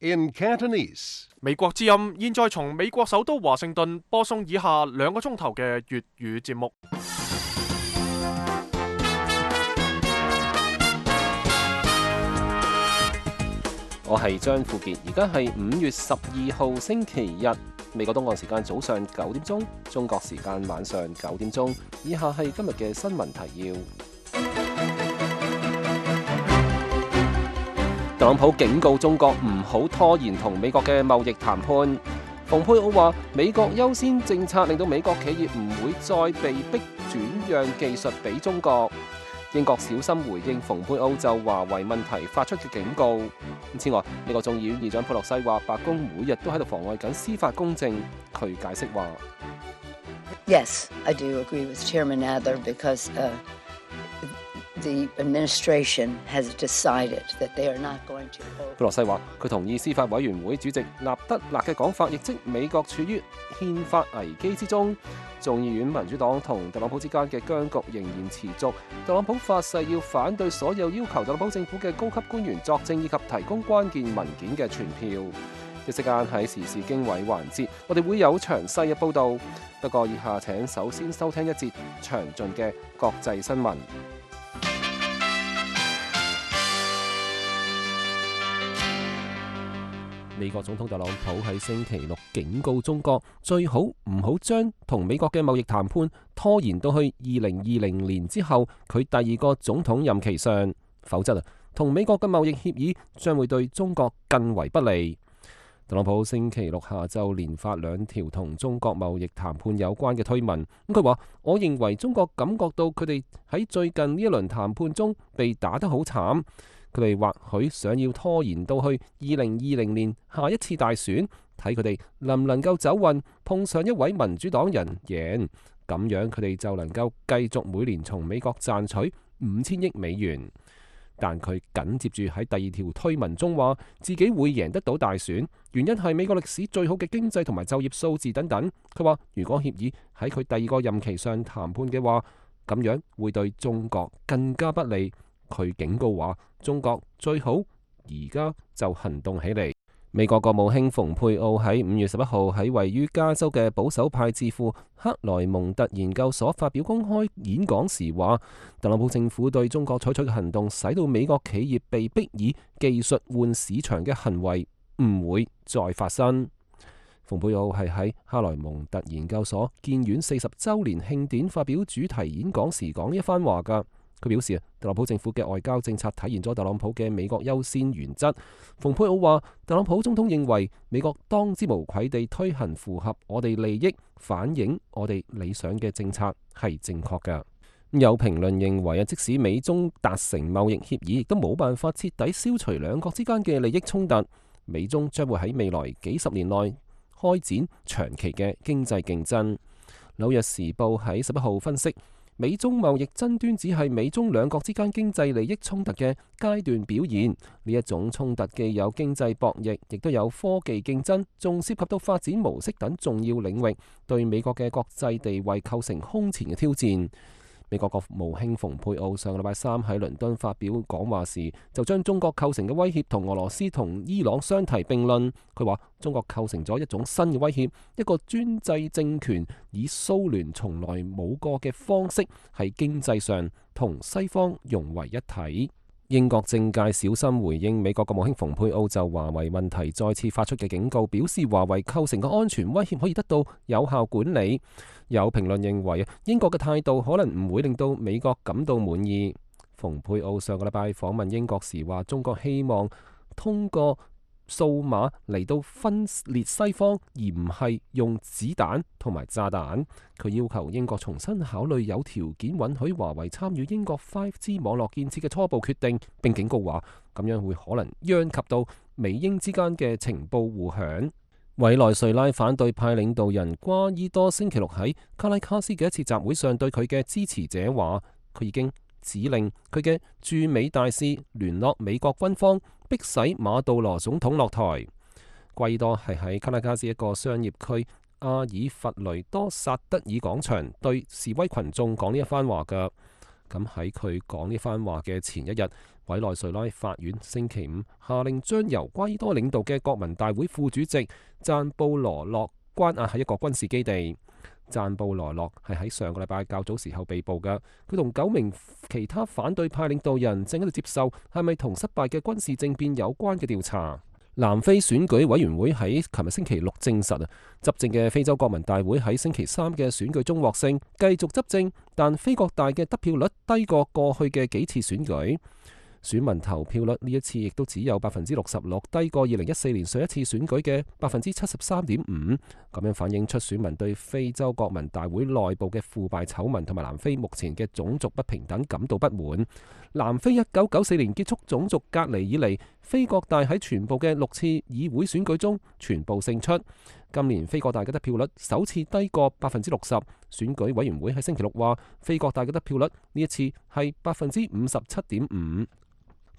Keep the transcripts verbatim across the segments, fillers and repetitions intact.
in Cantonese. 美國之音現在從美國首都華盛頓播送以下兩個鐘頭嘅粵語節目。我係張富傑，而家係五月十二號星期日，美國東岸時間早上九點鐘，中國時間晚上九點鐘。以下係今日嘅新聞提要。特朗普警告中國唔好拖延同美國嘅貿易談判。蓬佩奧話美國優先政策令到美國企業唔會再被逼轉讓技術俾中國。英國小心回應蓬佩奧就華為問題發出嘅警告。此外，美國眾議院議長佩洛西話白宮每日都喺度妨礙緊司法公正。佢解釋話 Yes, I do agree with Chairman Adler because uh, the administration has decided that they are not going to hold. 佩洛西話佢同意司法委員會主席納德勒嘅講法，亦即美國處於憲法危機之中。眾議院民主黨同特朗普之間嘅僵局仍然持續。特朗普發誓要反對所有要求特朗普政府嘅高級官員作證以及提供關鍵文件嘅傳票。一息間喺時事經緯環節，我哋會有詳細嘅報導。不過以下請首先收聽一節詳盡嘅國際新聞。美國總統特朗普喺星期六警告中國，最好唔好將同美國嘅貿易談判拖延到去二零二零年之後佢第二個總統任期上，否則啊，同美國嘅貿易協議將會對中國更為不利。特朗普星期六下晝連發兩條同中國貿易談判有關嘅推文，咁佢話：我認為中國感覺到佢哋喺最近呢一輪談判中被打得好慘。佢哋或許想要拖延到去二零二零年下一次大選，睇佢哋能唔能夠走運，碰上一位民主黨人贏，咁樣佢哋就能夠繼續每年從美國賺取五千億美元。但佢緊接住喺第二條推文中話自己會贏得到大選，原因係美國歷史最好嘅經濟同埋就業數字等等。佢話如果協議喺佢第二個任期上談判嘅話，咁樣會對中國更加不利。佢警告話中國最好而家就行動起嚟。美國國務卿蓬佩奧喺五月十一號喺位於加州嘅保守派智庫克萊蒙特研究所發表公開演講時話，特朗普政府對中國採取嘅行動，使到美國企業被迫以技術換市場嘅行為唔會再發生。蓬佩奧係喺克萊蒙特研究所建院四十週年慶典發表主題演講時講呢一番話㗎。佢表示啊，特朗普政府嘅外交政策體現咗特朗普嘅美國優先原則。蓬佩奧話，特朗普總統認為美國當之無愧地推行符合我哋利益、反映我哋理想嘅政策係正確嘅。有評論認為啊，即使美中達成貿易協議，亦都冇辦法徹底消除兩國之間嘅利益衝突。美中將會喺未來幾十年內開展長期嘅經濟競爭。紐約時報喺十一號分析，美中貿易爭端只係美中兩國之間經濟利益衝突嘅階段表現。呢一種衝突既有經濟博弈，亦都有科技競爭，仲涉及到發展模式等重要領域，對美國嘅國際地位構成空前嘅挑戰。美國國務卿蓬佩奧上個禮拜三喺倫敦發表講話時，就將中國構成嘅威脅同俄羅斯同伊朗相提並論。佢話中國構成咗一種新嘅威脅，一個專制政權以蘇聯從來冇過嘅方式喺經濟上同西方融為一體。英國政界小心回應美國國務卿蓬佩奧就華為問題再次發出嘅警告，表示華為構成嘅安全威脅可以得到有效管理。有評論認為英國嘅態度可能唔會令到美國感到滿意。蓬佩奧上個禮拜訪問英國時話，中國希望通過數碼嚟到分裂西方，而唔係用子彈同埋炸彈。佢要求英國重新考慮有條件允許華為參與英國 五 G 網絡建設嘅初步決定，並警告話咁樣會可能殃及到美英之間嘅情報互享。委內瑞拉反對派領導人瓜伊多星期六喺卡拉卡斯嘅一次集會上對佢嘅支持者話，佢已經指令佢嘅駐美大使聯絡美國軍方，迫使馬杜羅總統落台。瓜伊多係喺卡拉卡斯一個商業區阿爾弗雷多薩德爾廣場對示威群眾講呢一番話㗎。咁喺佢講呢番話嘅前一日，委內瑞拉法院星期五下令將由瓜伊多領導嘅國民大會副主席贊布羅諾關押喺一個軍事基地。贊布羅諾係喺上個禮拜較早時候被捕嘅，佢同九名其他反對派領導人正喺度接受係咪同失敗嘅軍事政變有關嘅調查。南非選舉委員會喺琴日星期六證實啊，執政嘅非洲國民大會喺星期三嘅選舉中獲勝，繼續執政，但非國大嘅得票率低過過去嘅幾次選舉。選民投票率呢一次亦都只有百分之六十六，低過二零一四年上一次選舉嘅百分之七十三點五。咁樣反映出選民對非洲國民大會內部嘅腐敗醜聞同埋南非目前嘅種族不平等感到不滿。南非一九九四年結束種族隔離以嚟，非國大喺全部嘅六次議會選舉中全部勝出。今年非國大嘅得票率首次低過百分之六十。選舉委員會喺星期六話，非國大嘅得票率呢一次係百分之五十七點五。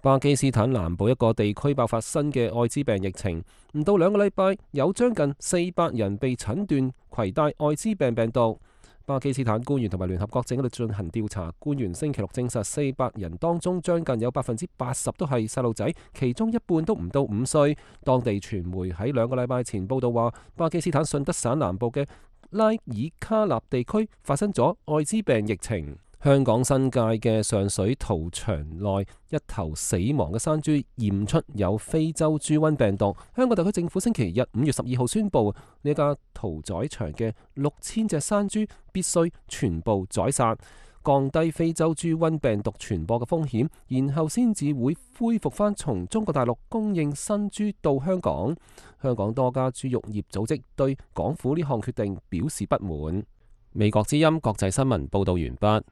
巴基斯坦南部一個地區爆發新嘅艾滋病疫情，唔到兩個禮拜，有將近四百人被診斷攜帶艾滋病病毒。巴基斯坦官員同埋聯合國正喺度進行調查。官員星期六證實，四百人當中將近有百分之八十都係細路仔，其中一半都唔到五歲。當地傳媒喺兩個禮拜前報道話，巴基斯坦順德省南部嘅拉爾卡納地區發生咗艾滋病疫情。香港新界嘅上水屠場內一頭死亡嘅山豬驗出有非洲豬瘟病毒。香港特區政府星期日五月十二號宣布，呢家屠宰場嘅六千隻山豬必須全部宰殺，降低非洲豬瘟病毒傳播嘅風險，然後先至會恢復翻從中國大陸供應新豬到香港。香港多家豬肉業組織對港府呢項決定表示不滿。美國之音國際新聞報道完畢。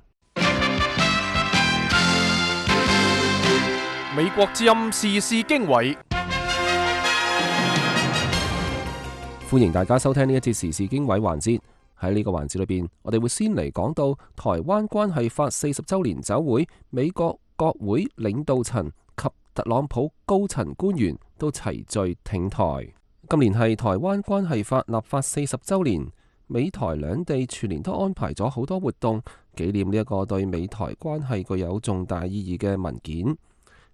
美國之音時事經緯，歡迎大家收聽呢一節時事經緯環節。喺呢個環節裏邊，我哋會先嚟講到台灣關係法四十週年酒會，美國國會領導層及特朗普高層官員都齊聚挺台。今年係台灣關係法立法四十週年，美台兩地全年都安排咗好多活動，紀念呢一個對美台關係具有重大意義嘅文件。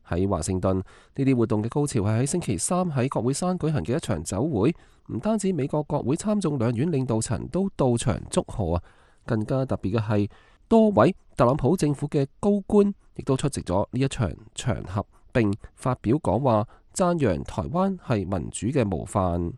喺華盛頓，呢啲活動嘅高潮係喺星期三喺國會山舉行嘅一場酒會，唔單止美國國會參眾兩院領導層都到場祝賀啊，更加特別嘅係多位特朗普政府嘅高官亦都出席咗呢一場場合，並發表講話，讚揚台灣係民主嘅模範。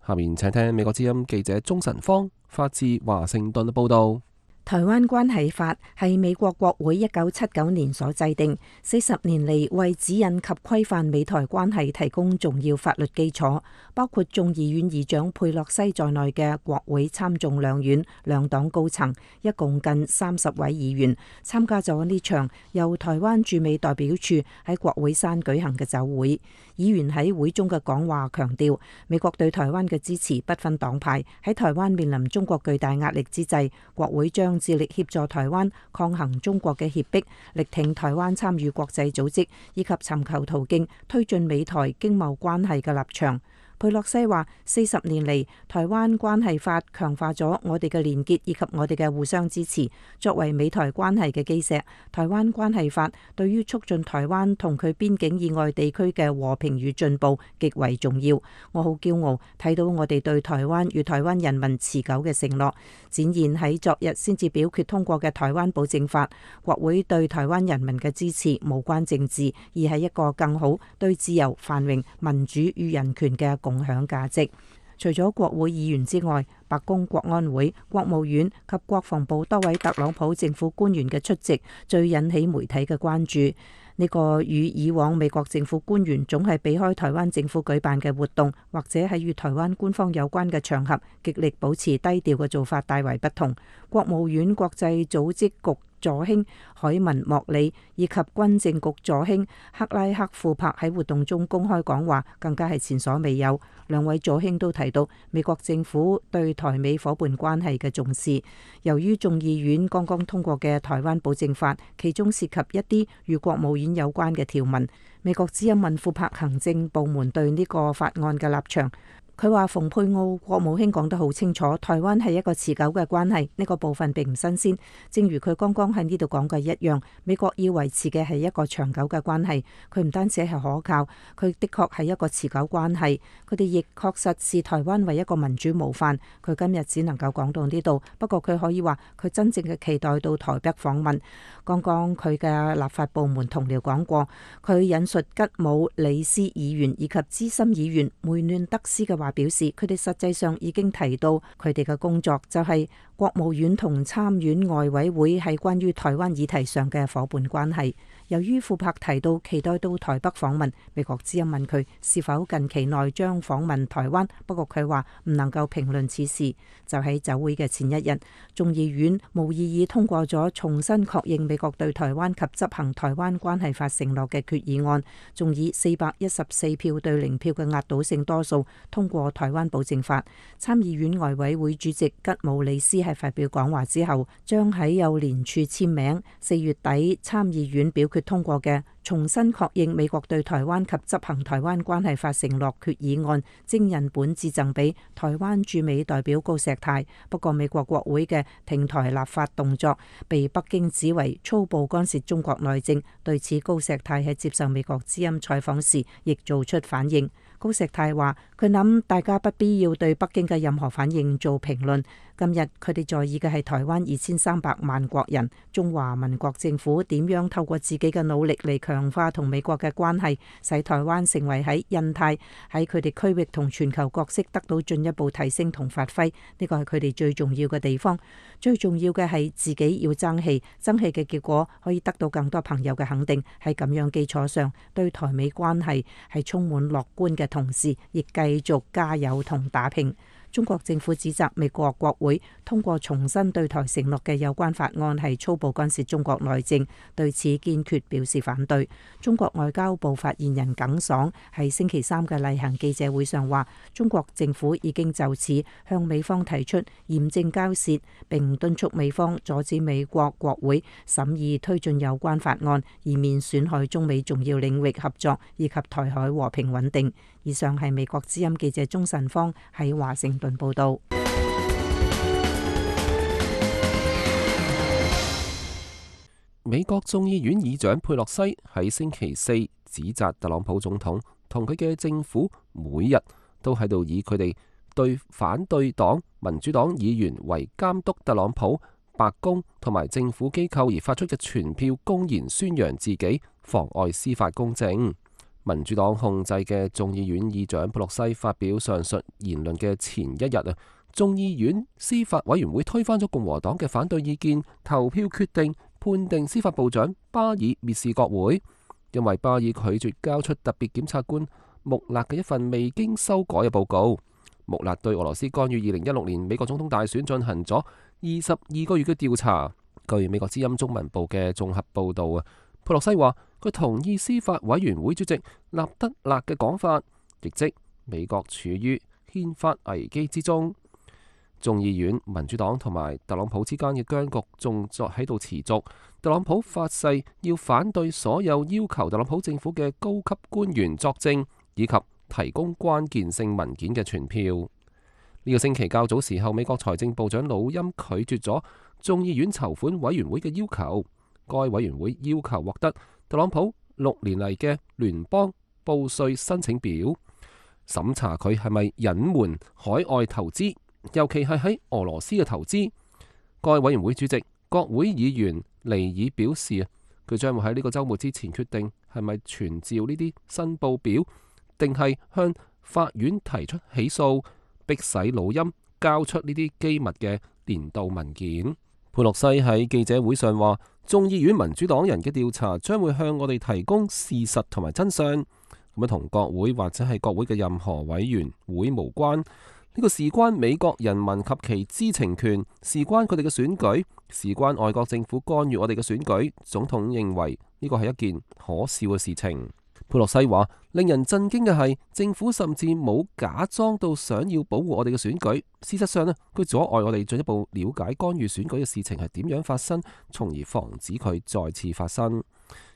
下面請聽美國之音記者鍾晨芳發自華盛頓嘅報道。台灣關係法係美國國會一九七九年所制定，四十年嚟為指引及規範美台關係提供重要法律基礎，包括眾議院議長佩洛西在內嘅國會參眾兩院兩黨高層，一共近三十位議員參加咗呢場由台灣駐美代表處喺國會山舉行嘅酒會。議員喺會中嘅講話強調，美國對台灣嘅支持不分黨派。喺台灣面臨中國巨大壓力之際，國會將致力協助台灣抗衡中國嘅脅迫，力挺台灣參與國際組織，以及尋求途徑推進美台經貿關係嘅立場。佩洛西話：四十年嚟，台灣關係法強化咗我哋嘅連結以及我哋嘅互相支持，作為美台關係嘅基石。台灣關係法對於促進台灣同佢邊境以外地區嘅和平與進步極為重要。我好驕傲睇到我哋對台灣與台灣人民持久嘅承諾，展現喺昨日先至表決通過嘅台灣保證法。國會對台灣人民嘅支持無關政治，而係一個更好對自由、繁榮、民主與人權嘅共享價值。除咗國會議員之外，白宮、國安會、國務院及國防部多位特朗普政府官員嘅出席，最引起媒體嘅關注。呢個與以往美國政府官員總係避開台灣政府舉辦嘅活動，或者係與台灣官方有關嘅場合，極力保持低調嘅做法大為不同。國務院國際組織局助卿海文莫里以及軍政局助卿克拉克庫珀喺活動中公開講話，更加係前所未有。兩位助卿都提到美國政府對台美夥伴關係嘅重視。由於眾議院剛剛通過嘅台灣保證法，其中涉及一啲與國務院有關嘅條文，美國之音問庫珀行政部門對呢個法案嘅立場。佢話蓬佩奧國務卿講得好清楚，台灣係一個持久嘅關係，呢個部分並唔新鮮。正如佢剛剛喺呢度講嘅一樣，美國要維持嘅係一個長久嘅關係。佢唔單止係可靠，佢的確係一個持久關係。佢哋亦確實視台灣為一個民主模範。佢今日只能夠講到呢度，不過佢可以話佢真正嘅期待到台北訪問。剛剛佢嘅立法部門同僚講過，佢引述吉姆里斯議員以及資深議員梅嫩德斯嘅話，表示佢哋實際上已經提到佢哋嘅工作就係國務院同參院外委會係關於台灣議題上嘅夥伴關係。由於庫珀提到期待到台北訪問，美國之音問佢是否近期內將訪問台灣，不過佢話唔能夠評論此事。就喺酒會嘅前一日，眾議院無異議通過咗重新確認美國對台灣及執行台灣關係法承諾嘅決議案，仲以四百一十四票對零票嘅壓倒性多數通過台灣保證法。參議院外委會主席吉姆里斯喺發表講話之後，將喺幼聯處簽名，四月底參議院表決通過嘅重新確認美國對台灣及執行台灣關係法承諾決議案徵印本致贈俾台灣駐美代表高石泰。不過美國國會嘅挺台立法動作被北京指為粗暴干涉中國內政，對此高石泰喺接受美國之音採訪時亦做出反應。高石泰話：佢諗大家不必要對北京嘅任何反應做評論。今日佢哋在意嘅係台灣二千三百萬國人，中華民國政府點樣透過自己嘅努力嚟強化同美國嘅關係，使台灣成為喺印太喺佢哋區域同全球角色得到進一步提升同發揮。呢個係佢哋最重要嘅地方。最重要嘅係自己要爭氣，爭氣嘅結果可以得到更多朋友嘅肯定。喺咁樣基礎上，對台美關係係充滿樂觀嘅同時，亦繼續加油同打拼。中國政府指責美國國會通過重新對台承諾嘅有關法案係粗暴干涉中國內政，對此堅決表示反對。中國外交部發言人耿爽喺星期三嘅例行記者會上話，中國政府已經就此向美方提出嚴正交涉，並敦促美方阻止美國國會審議推進有關法案，以免損害中美重要領域合作以及台海和平穩定。以上係美國之音記者鍾晨芳喺華盛頓報道。美國眾議院議長佩洛西喺星期四指責特朗普總統同佢嘅政府每日都喺度以佢哋對反對黨民主黨議員為監督特朗普、白宮同埋政府機構而發出嘅傳票，公然宣揚自己，妨礙司法公正。民主黨控制嘅眾議院議長佩洛西發表上述言論嘅前一日啊，眾議院司法委員會推翻咗共和黨嘅反對意見，投票決定判定司法部長巴爾蔑視國會，因為巴爾拒絕交出特別檢察官穆勒嘅一份未經修改嘅報告。穆勒對俄羅斯干預二零一六年美國總統大選進行咗二十二個月嘅調查。據美國之音中文部嘅綜合報道啊，佩洛西話佢同意司法委員會主席納德勒嘅講法，亦即美國處於憲法危機之中。眾議院民主黨同埋特朗普之間嘅僵局仲在喺度持續。特朗普發誓要反對所有要求特朗普政府嘅高級官員作證以及提供關鍵性文件嘅傳票。呢個星期較早時候，美國財政部長魯欽拒絕咗眾議院籌款委員會嘅要求。該委員會要求獲得特朗普六年嚟嘅聯邦報稅申請表，審查佢係咪隱瞞海外投資，尤其係喺俄羅斯嘅投資。該委員會主席國會議員尼爾表示，佢將會喺呢個週末之前決定係咪傳召呢啲申報表，定係向法院提出起訴，迫使魯欽交出呢啲機密嘅年度文件。佩洛西喺記者會上話，眾議院民主黨人嘅調查將會向我哋提供事實同埋真相，咁樣同國會或者係國會嘅任何委員會無關。呢、這個事關美國人民及其知情權，事關佢哋嘅選舉，事關外國政府干預我哋嘅選舉。總統認為呢個係一件可笑嘅事情。佩洛西話，令人震驚嘅係政府甚至冇假裝到想要保護我哋嘅選舉。事實上咧，佢阻礙我哋進一步了解干預選舉嘅事情係點樣發生，從而防止佢再次發生。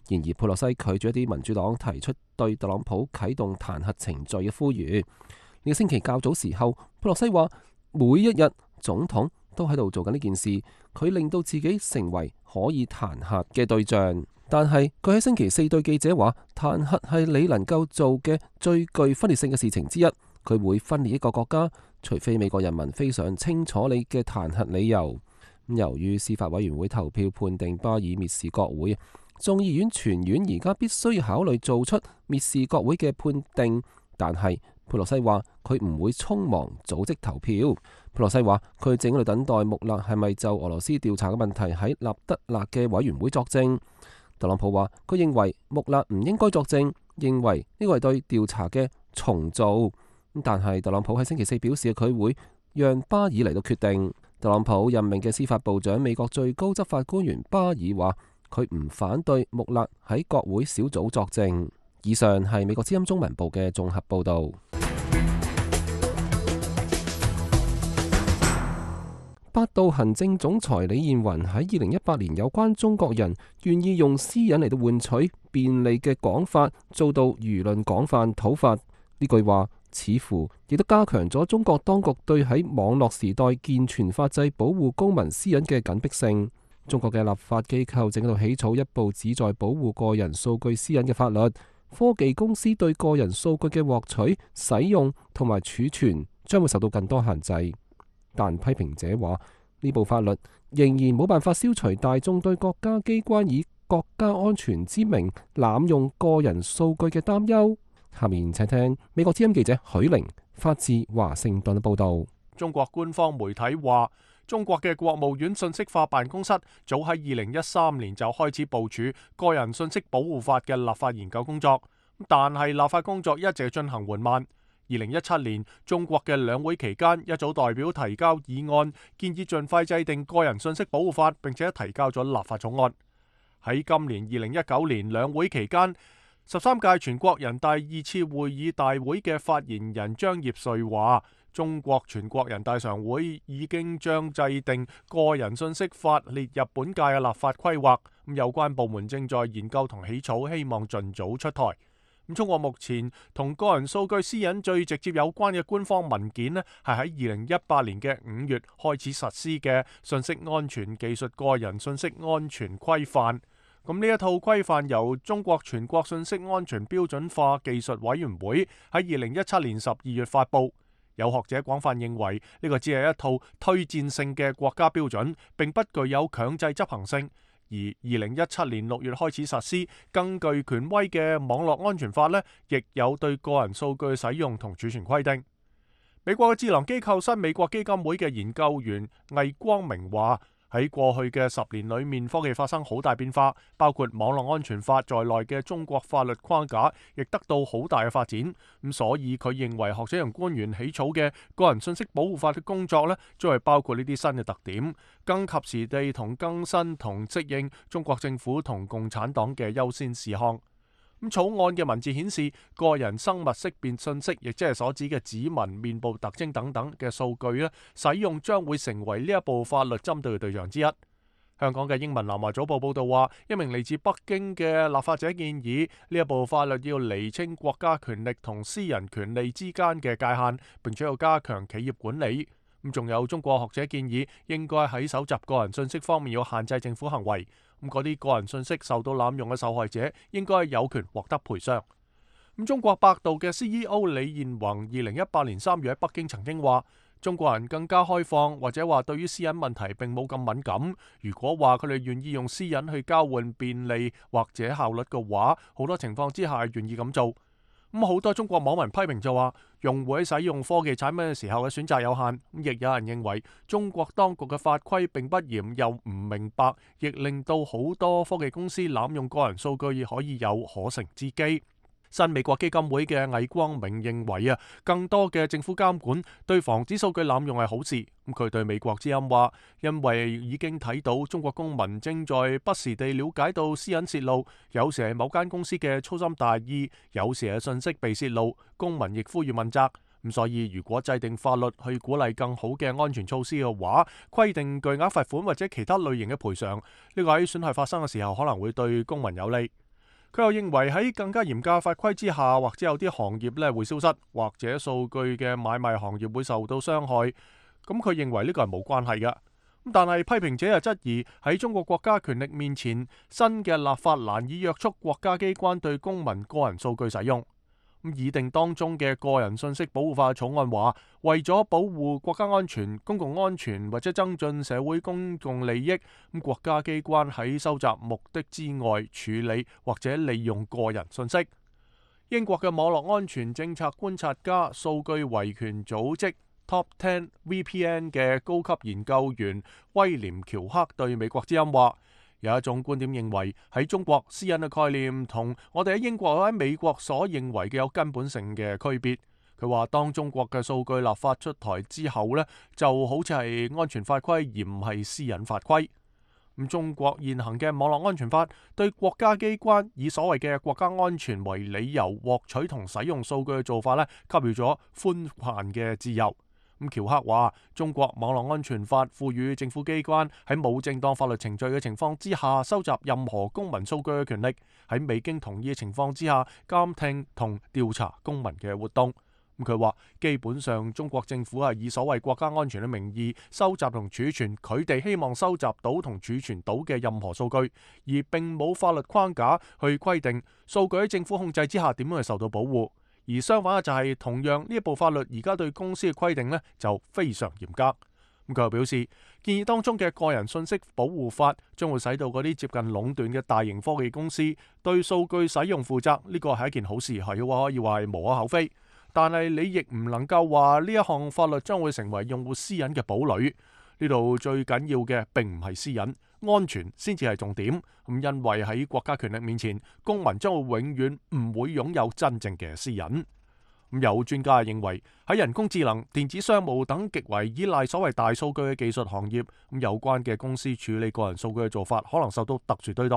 然而佩洛西拒絕一啲民主黨提出對特朗普啟動彈劾程序嘅呼籲。呢個星期較早時候，佩洛西話每一日總統都喺度做緊呢件事，佢令到自己成為可以彈劾嘅對象。但係佢喺星期四對記者話，彈劾係你能夠做嘅最具分裂性嘅事情之一。佢會分裂一個國家，除非美國人民非常清楚你嘅彈劾理由。由於司法委員會投票判定巴爾蔑視國會，眾議院全院而家必須考慮做出蔑視國會嘅判定。但係佩洛西話佢唔會匆忙組織投票。佩洛西話佢正喺度等待穆勒係咪就俄羅斯調查嘅問題喺納德勒嘅委員會作證。特朗普話佢認為穆勒唔應該作證，認為呢個係對調查嘅重做。但係特朗普喺星期四表示佢會讓巴爾嚟到決定。特朗普任命嘅司法部長美國最高執法官員巴爾話佢唔反對穆勒喺國會小組作證。以上係美國之音中文部嘅綜合報導。百度行政總裁李彥雲喺二零一八年有關中國人願意用私隱嚟到換取便利嘅講法遭到輿論廣泛討伐。呢句話似乎亦都加強咗中國當局對喺網絡時代健全法制保護公民私隱嘅緊迫性。中國嘅立法機構正喺度起草一部旨在保護個人數據私隱嘅法律。科技公司對個人數據嘅獲取、使用同埋儲存將會受到更多限制。但批評者話呢部法律仍然冇辦法消除大眾對國家機關以國家安全之名濫用個人數據嘅擔憂。下面請聽美國之音記者許玲發自華盛頓嘅報道。中國官方媒體話，中國嘅國務院信息化辦公室早喺二零一三年就開始部署個人信息保護法嘅立法研究工作，但係立法工作一直進行緩慢。二零一七年，中國嘅兩會期間，一組代表提交議案，建議盡快制定個人信息保護法，並且提交咗立法草案。喺今年二零一九年兩會期間，十三屆全國人大二次會議大會嘅發言人張業遂話，中國全國人大常會已經將制定個人信息法列入本屆嘅立法規劃，咁有關部門正在研究同起草，希望盡早出台。咁中國目前同個人數據私隱最直接有關嘅官方文件呢，係喺二零一八年嘅五月開始實施嘅信息安全技術個人信息安全規範。咁呢一套規範由中國全國信息安全標準化技術委員會喺二零一七年十二月發布。有學者廣泛認為呢個只係一套推薦性嘅國家標準，並不具有強制執行性。而二零一七年六月開始實施，更具權威嘅網絡安全法呢，亦有對個人數據使用同儲存規定。美國嘅智囊機構新美國基金會嘅研究員魏光明話，喺過去嘅十年裏面，科技發生好大變化，包括網絡安全法在內嘅中國法律框架亦得到好大嘅發展。咁所以佢認為學者同官員起草嘅個人信息保護法嘅工作呢，將係包括呢啲新嘅特點，更及時地同更新同適應中國政府同共產黨嘅優先事項。咁草案嘅文字顯示，個人生物識別信息，亦即係所指嘅指紋、面部特徵等等嘅數據咧，使用將會成為呢一部法律針對嘅對象之一。香港嘅英文南華早報報道話，一名嚟自北京嘅立法者建議呢一部法律要釐清國家權力同私人權利之間嘅界限，並且要加強企業管理。咁仲有中國學者建議，應該喺搜集個人信息方面要限制政府行為。咁嗰啲個人信息受到濫用嘅受害者，應該有權獲得賠償。咁中國百度嘅 C E O 李彥宏二零一八年三月喺北京曾經話，中國人更加開放，或者話對於私隱問題並冇咁敏感。如果話佢哋願意用私隱去交換便利或者效率嘅話，好多情況之下係願意咁做。咁好多中國網民批評就話，用戶喺使用科技產品嘅時候嘅選擇有限。亦有人認為中國當局嘅法規並不嚴又唔明白，亦令到好多科技公司濫用個人數據可以有可乘之機。新美國基金會嘅魏光明認為啊，更多嘅政府監管對防止數據濫用係好事。咁佢對美國之音話，因為已經睇到中國公民正在不時地了解到私隱洩露，有時係某間公司嘅粗心大意，有時係信息被洩露，公民亦呼籲問責。咁所以如果制定法律去鼓勵更好嘅安全措施嘅話，規定巨額罰款或者其他類型嘅賠償，呢個喺損害發生嘅時候可能會對公民有利。佢又認為喺更加嚴格法規之下，或者有啲行業咧會消失，或者數據嘅買賣行業會受到傷害。咁佢認為呢個係冇關係嘅。但係批評者又質疑喺中國國家權力面前，新嘅立法難以約束國家機關對公民個人數據使用。咁擬定當中嘅個人信息保護法草案話，為咗保護國家安全、公共安全或者增進社會公共利益，咁國家機關喺收集目的之外處理或者利用個人信息。英國嘅網絡安全政策觀察家、數據維權組織Top ten V P N 嘅高級研究員威廉喬克對美國之音話，有一種觀點認為喺中國私隱嘅概念同我哋喺英國或喺美國所認為嘅有根本性嘅區別。佢話當中國嘅數據立法出台之後呢，就好似係安全法規而唔係私隱法規。咁中國現行嘅網絡安全法對國家機關以所謂嘅國家安全為理由獲取同使用數據嘅做法呢，給予咗寬泛嘅自由。咁喬克話：中國網絡安全法賦予政府機關喺冇正當法律程序嘅情況之下收集任何公民數據嘅權力，喺未經同意嘅情況之下監聽同調查公民嘅活動。咁佢話基本上中國政府係以所謂國家安全嘅名義收集同儲存佢哋希望收集到同儲存到嘅任何數據，而並冇法律框架去規定數據喺政府控制之下點樣去受到保護。而相反嘅就係，同樣呢一部法律而家對公司嘅規定呢就非常嚴格。咁佢又表示，建議當中嘅個人信息保護法將會使到嗰啲接近壟斷嘅大型科技公司對數據使用負責，呢個係一件好事，係可以話係無可厚非。但係你亦唔能夠話呢一項法律將會成為用戶私隱嘅堡壘。呢度最緊要嘅並唔係私隱，安全先至係重點。咁因為喺國家權力面前，公民將會永遠唔會擁有真正嘅私隱。咁有專家認為喺人工智能、電子商務等極為依賴所謂大數據嘅技術行業，咁有關嘅公司處理個人數據嘅做法可能受到特殊對待。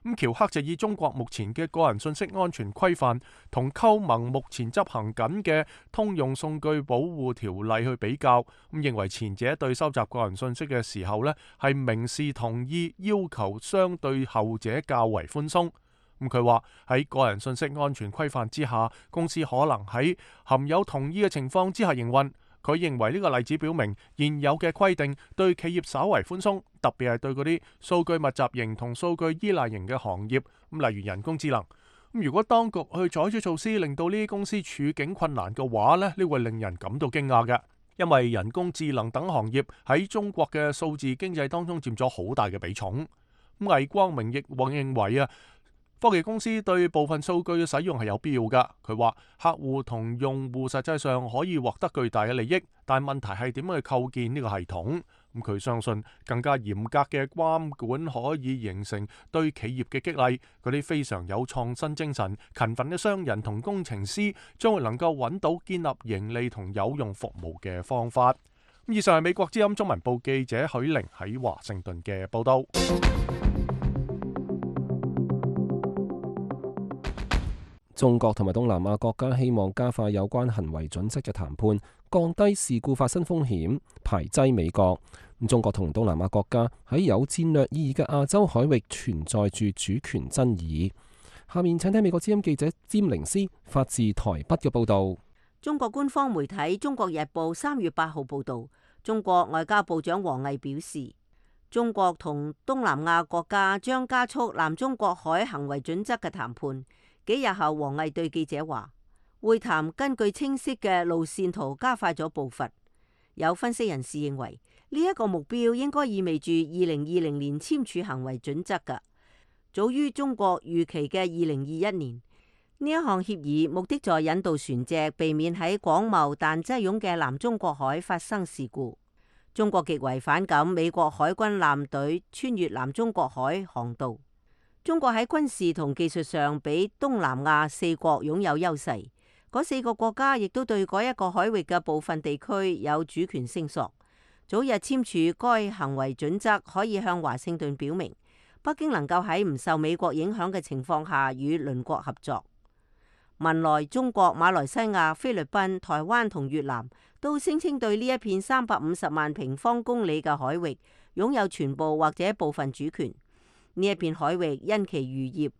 咁喬克就以中國目前嘅個人信息安全規範同歐盟目前執行緊嘅通用數據保護條例去比較，咁認為前者對收集個人信息嘅時候呢係明示同意要求，相對後者較為寬鬆。咁佢話喺個人信息安全規範之下，公司可能喺含有同意嘅情況之下營運。佢認為呢個例子表明現有嘅規定對企業稍為寬鬆，特別係對嗰啲數據密集型同數據依賴型嘅行業，咁例如人工智能。咁如果當局去採取措施令到呢啲公司處境困難嘅話呢，呢會令人感到驚訝嘅，因為人工智能等行業喺中國嘅數字經濟當中佔咗好大嘅比重。咁魏光明亦認為啊，科技公司對部分數據嘅使用係有必要㗎。佢話客戶同用戶實際上可以獲得巨大嘅利益，但問題係點樣去構建呢個系統。咁佢相信更加嚴格嘅監管可以形成對企業嘅激勵，嗰啲非常有創新精神、勤奮嘅商人同工程師將會能夠揾到建立盈利同有用服務嘅方法。以上係美國之音中文部記者許玲喺華盛頓嘅報道。中國同埋東南亞國家希望加快有關行為準則嘅談判，降低事故發生風險，排擠美國。中國同東南亞國家喺有戰略意義嘅亞洲海域存在住主權爭議。下面請聽美國之音記者詹玲斯發自台北嘅報導。中國官方媒體《中國日報》三月八號報導，中國外交部長王毅表示，中國同東南亞國家將加速南中國海行為準則嘅談判。幾日後，王毅對記者話：會談根據清晰嘅路線圖加快咗步伐。有分析人士認為，呢一個目標應該意味住二零二零年簽署行為準則㗎，早於中國預期嘅二零二一年。呢一項協議目的在引導船隻避免喺廣袤但擠擁嘅南中國海發生事故。中國極為反感美國海軍艦隊穿越南中國海航道。中國喺軍事同技術上比東南亞四國擁有優勢，嗰四個國家亦都對嗰一個海域嘅部分地區有主權聲索。早日簽署該行為準則，可以向華盛頓表明，北京能夠喺唔受美國影響嘅情況下與鄰國合作。文萊、中國、馬來西亞、菲律賓、台灣同越南都聲稱對呢一片三百五十萬平方公里嘅海域擁有全部或者部分主權。呢一片海域因其漁業、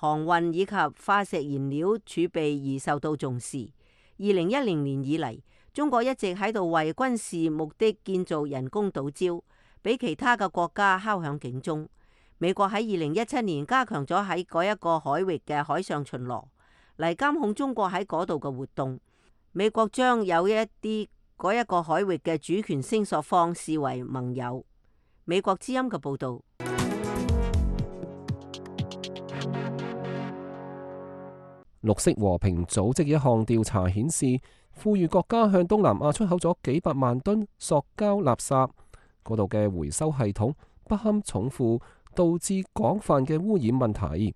航運以及化石燃料儲備而受到重視。二零一零年以嚟，中國一直喺度為軍事目的建造人工島礁，俾其他嘅國家敲響警鐘。美國喺二零一七年加強咗喺嗰一個海域嘅海上巡邏，嚟監控中國喺嗰度嘅活動。美國將有一啲嗰一個海域嘅主權聲索方視為盟友。美國之音嘅報導。綠色和平組織一項調查顯示，富裕國家向東南亞出口咗幾百萬噸塑膠垃圾，嗰度嘅回收系統不堪重負，導致廣泛嘅污染問題。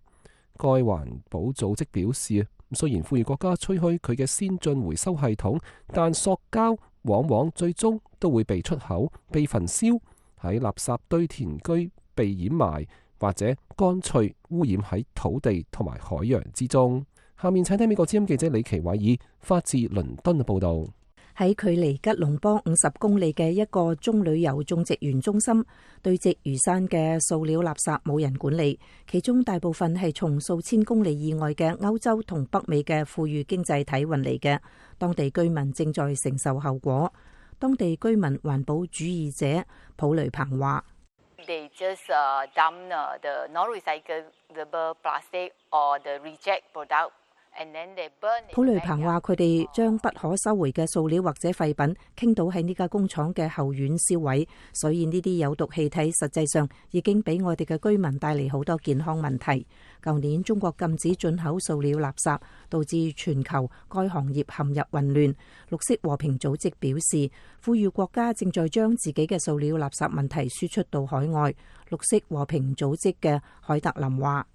該環保組織表示，雖然富裕國家吹噓佢嘅先進回收系統，但塑膠往往最終都會被出口、被焚燒，喺垃圾堆填區被掩埋，或者乾脆污染喺土地同埋海洋之中。下面請聽美國之音記者李奇偉爾發自倫敦嘅報道。喺距離吉隆坡五十公里嘅一個棕櫚油種植園中心，堆積如山嘅塑料垃圾冇人管理，其中大部分係從數千公里以外嘅歐洲同北美嘅富裕經濟體運嚟嘅，當地居民正在承受後果。當地居民環保主義者普雷彭話：They just uh, dump the non-recyclable plastic or the reject product.普雷彭話：佢哋將不可收回嘅塑料或者廢品傾倒喺呢家工廠嘅後院燒毀，所以呢啲有毒氣體實際上已經俾我哋嘅居民帶嚟好多健康問題。舊年中國禁止進口塑料垃圾，導致全球該行業陷入混亂。綠色和平組織表示，富裕國家正在將自己嘅塑料垃圾問題輸出到海外。綠色和平組織嘅海特林話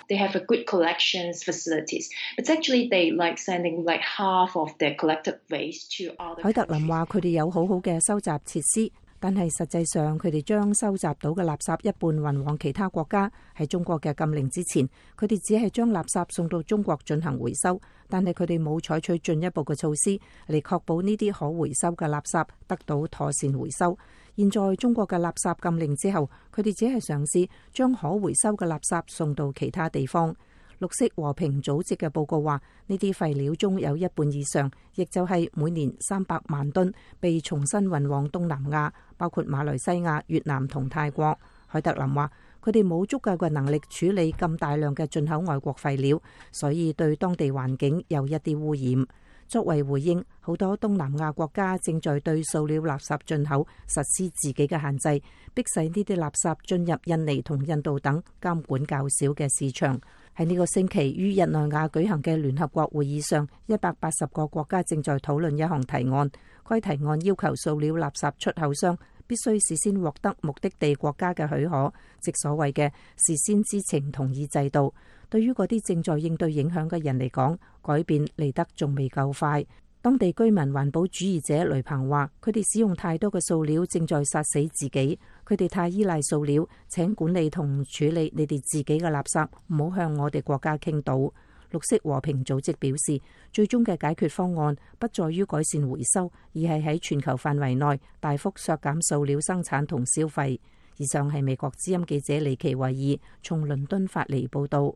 ：They have a good collections facilities, but actually they like sending like half of their collected waste to other countries. 海特林話：佢哋有好好嘅收集設施，但係實際上佢哋將收集到嘅垃圾一半運往其他國家。喺中國嘅禁令之前，佢哋只係將垃圾送到中國進行回收，但係佢哋冇採取進一步嘅措施嚟確保呢啲可回收嘅垃圾得到妥善回收。現在中國嘅垃圾禁令之後，佢哋只係嘗試將可回收嘅垃圾送到其他地方。綠色和平組織嘅報告話，呢啲廢料中有一半以上，亦就係每年三百萬噸，被重新運往東南亞，包括馬來西亞、越南同泰國。海特林話，佢哋冇足夠嘅能力處理咁大量嘅進口外國廢料，所以對當地環境有一啲污染。作為回應，好多東南亞國家正在對塑料垃圾進口實施自己嘅限制，迫使呢啲垃圾進入印尼同印度等監管較少嘅市場。喺呢個星期於日內瓦舉行嘅聯合國會議上，一百八十個國家正在討論一項提案。該提案要求塑料垃圾出口商必須事先獲得目的地國家嘅許可，即所謂嘅事先知情同意制度。對於嗰啲正在應對影響嘅人嚟講，改變嚟得仲未夠快。當地居民環保主義者雷鵬話：佢哋使用太多嘅塑料，正在殺死自己。佢哋太依賴塑料，請管理同處理你哋自己嘅垃圾，唔好向我哋國家傾倒。綠色和平組織表示，最終嘅解決方案不在於改善回收，而係喺全球範圍內大幅削減塑料生產同消費。以上係美國之音記者李奇維爾從倫敦發嚟報道。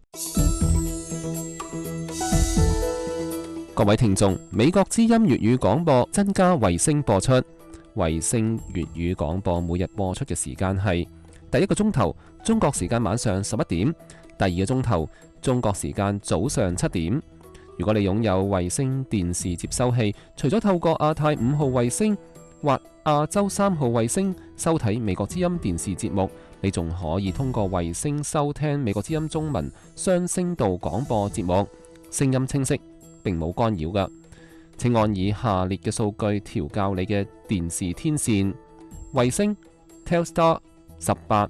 各位聽眾，美國之音粵語廣播增加衛星播出。衛星粵語廣播每日播出嘅時間係第一個鐘頭中國時間晚上十一點，第二個鐘頭中國時間早上七點。如果你擁有衛星電視接收器，除咗透過亞太五號衛星或亞洲三號衛星收睇美國之音電視節目，你仲可以通過衛星收聽美國之音中文雙聲道廣播節目，聲音清晰，並冇干擾㗎。請按以下列嘅數據調校你嘅電視天線：衛星 Telstar 十八，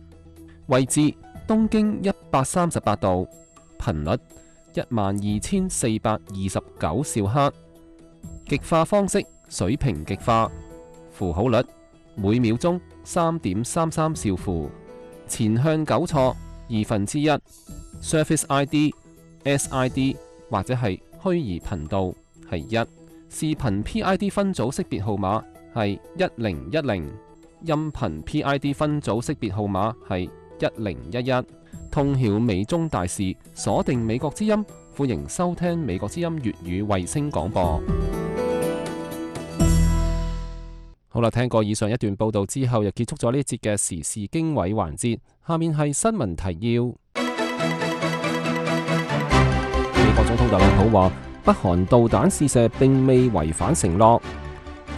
位置東經一百三十八度，頻率一萬二千四百二十九兆赫，極化方式水平極化，符號率每秒鐘三點三三兆符，前向糾錯二分之一 ，Surface I D、S I D 或者係虛擬頻道係一，視頻 P I D 分組識別號碼係一零一零，音頻 P I D 分組識別號碼係一零一一。通曉美中大事，鎖定美國之音，歡迎收聽美國之音粵語衛星廣播。好啦，聽過以上一段報道之後，又結束咗呢一節嘅時事經緯環節。下面係新聞提要。美國總統特朗普話，北韓導彈試射並未違反承諾。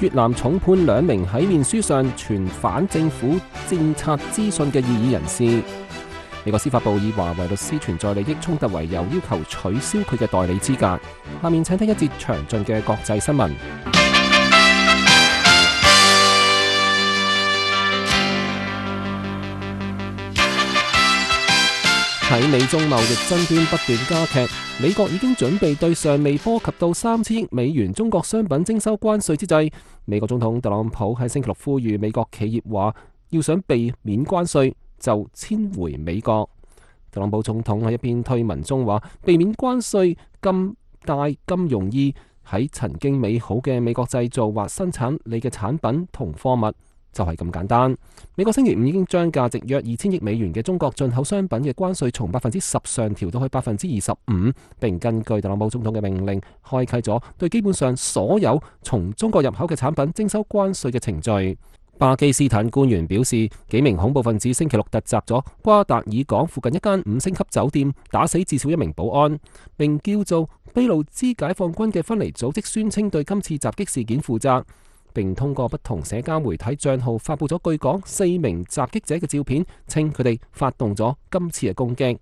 越南重判兩名喺面書上傳反政府政策資訊嘅異議人士。美國司法部以華為律師存在利益衝突為由，要求取消佢嘅代理資格。下面請聽一節詳盡嘅國際新聞。喺美中貿易爭端不斷加劇，美國已經準備對尚未波及到三千億美元中國商品徵收關稅之際，美國總統特朗普喺星期六呼籲美國企業話，要想避免關稅就遷回美國。特朗普總統喺一篇推文中話，避免關稅咁大咁容易，喺曾經美好嘅美國製造或生產你嘅產品同貨物就係咁簡單。美國星期五已經將價值約二千億美元嘅中國進口商品嘅關稅從百分之十上調到去百分之二十五，並根據特朗普總統嘅命令，開啟咗對基本上所有從中國入口嘅產品徵收關稅嘅程序。巴基斯坦官員表示，幾名恐怖分子星期六突襲咗瓜達爾港附近一間五星級酒店，打死至少一名保安，並叫做俾路支解放軍嘅分離組織宣稱對今次襲擊事件負責，並通過不同社交媒體賬號發布咗據講四名襲擊者嘅照片，稱佢哋發動咗今次嘅攻擊。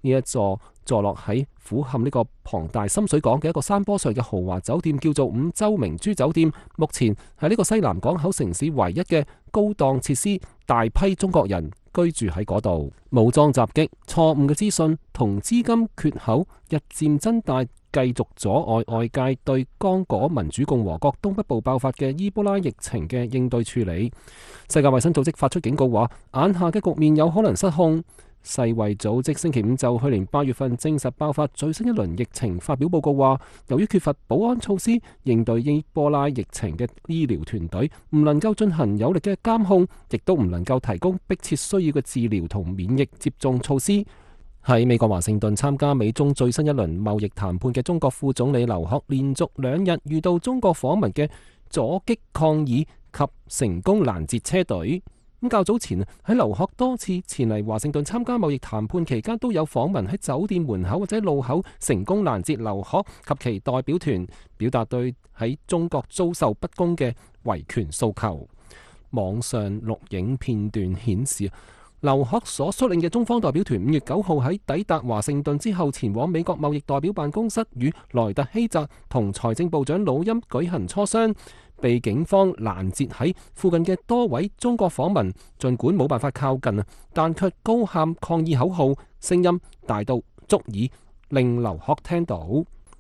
呢一座坐落喺府冚呢個龐大深水港嘅一個山坡上嘅豪華酒店叫做五洲明珠酒店，目前係呢個西南港口城市唯一嘅高檔設施，大批中國人居住喺嗰度。武裝襲擊、錯誤嘅資訊同資金缺口日漸增大，繼續阻礙外界對剛果民主共和國東北部爆發嘅伊波拉疫情嘅應對處理。世界衛生組織發出警告話，眼下嘅局面有可能失控。世衛組織星期五就去年八月份證實爆發最新一輪疫情發表報告話，由於缺乏保安措施應對伊波拉疫情嘅醫療團隊唔能夠進行有力嘅監控，亦都唔能夠提供迫切需要嘅治療同免疫接種措施。喺美國華盛頓參加美中最新一輪貿易談判嘅中國副總理劉鶴，連續兩日遇到中國訪問嘅阻擊抗議及成功攔截車隊。咁較早前喺劉鶴多次前嚟華盛頓參加貿易談判期間，都有訪問喺酒店門口或者路口成功攔截劉鶴及其代表團，表達對喺中國遭受不公嘅維權訴求。網上錄影片段顯示，劉鶴所率領嘅中方代表團五月九號喺抵達華盛頓之後，前往美國貿易代表辦公室與萊特希澤同財政部長魯欽舉行磋商，被警方攔截喺附近嘅多位中國訪民，儘管冇辦法靠近啊，但卻高喊抗議口號，聲音大到足以令劉鶴聽到。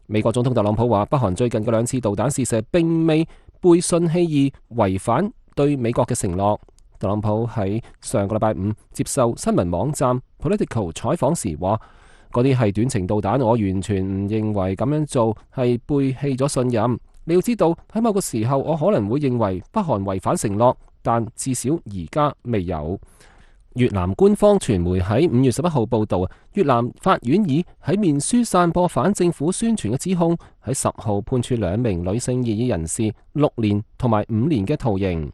美國總統特朗普話，北韓最近嘅兩次導彈試射並未背信棄義，違反對美國嘅承諾。特朗普喺上個禮拜五接受新聞網站 Political 採訪時話，嗰啲係短程導彈，我完全唔認為咁樣做係背棄咗信任。你要知道，喺某個時候我可能會認為北韓違反承諾，但至少而家未有。越南官方傳媒喺五月十一號報道，越南法院以喺面書散播反政府宣傳嘅指控，喺十號判處兩名女性異議人士六年同埋五年嘅徒刑。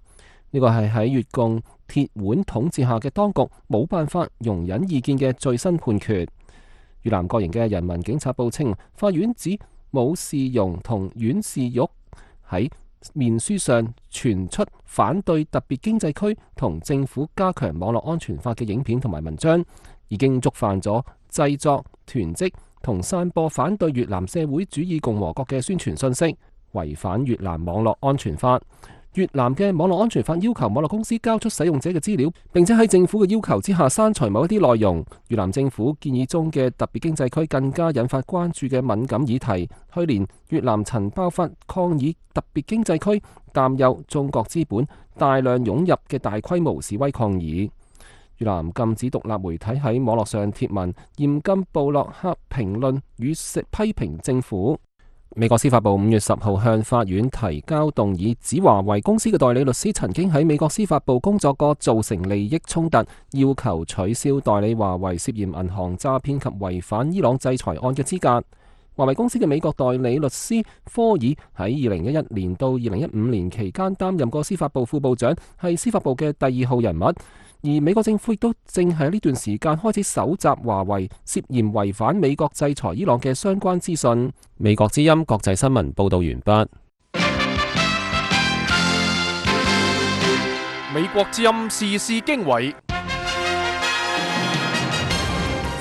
呢個係喺越共鐵腕統治下嘅當局冇辦法容忍意見嘅最新判決。越南國營嘅人民警察報稱，法院指武士容同阮氏玉喺面書上傳出反對特別經濟區同政府加強網絡安全法嘅影片同埋文章，已經觸犯咗製作、囤積同散播反對越南社會主義共和國嘅宣傳信息，違反越南網絡安全法。越南嘅網絡安全法要求網絡公司交出使用者嘅資料，並且喺政府嘅要求之下刪除某一啲內容。越南政府建議中嘅特別經濟區更加引發關注嘅敏感議題。去年越南曾爆發抗議特別經濟區，擔憂中國資本大量湧入嘅大規模示威抗議。越南禁止獨立媒體喺網絡上貼文，嚴禁部落客評論與批評政府。美國司法部五月十號向法院提交動議，指華為公司嘅代理律師曾經喺美國司法部工作過，造成利益衝突，要求取消代理華為涉嫌銀行詐騙及違反伊朗制裁案嘅資格。華為公司嘅美國代理律師科爾喺二零一一年到二零一五年期間擔任過司法部副部長，係司法部嘅第二號人物。而美國政府亦都正喺呢段時間開始搜集華為涉嫌違反美國制裁伊朗嘅相關資訊。美國之音國際新聞報道完畢。美國之音時事經緯，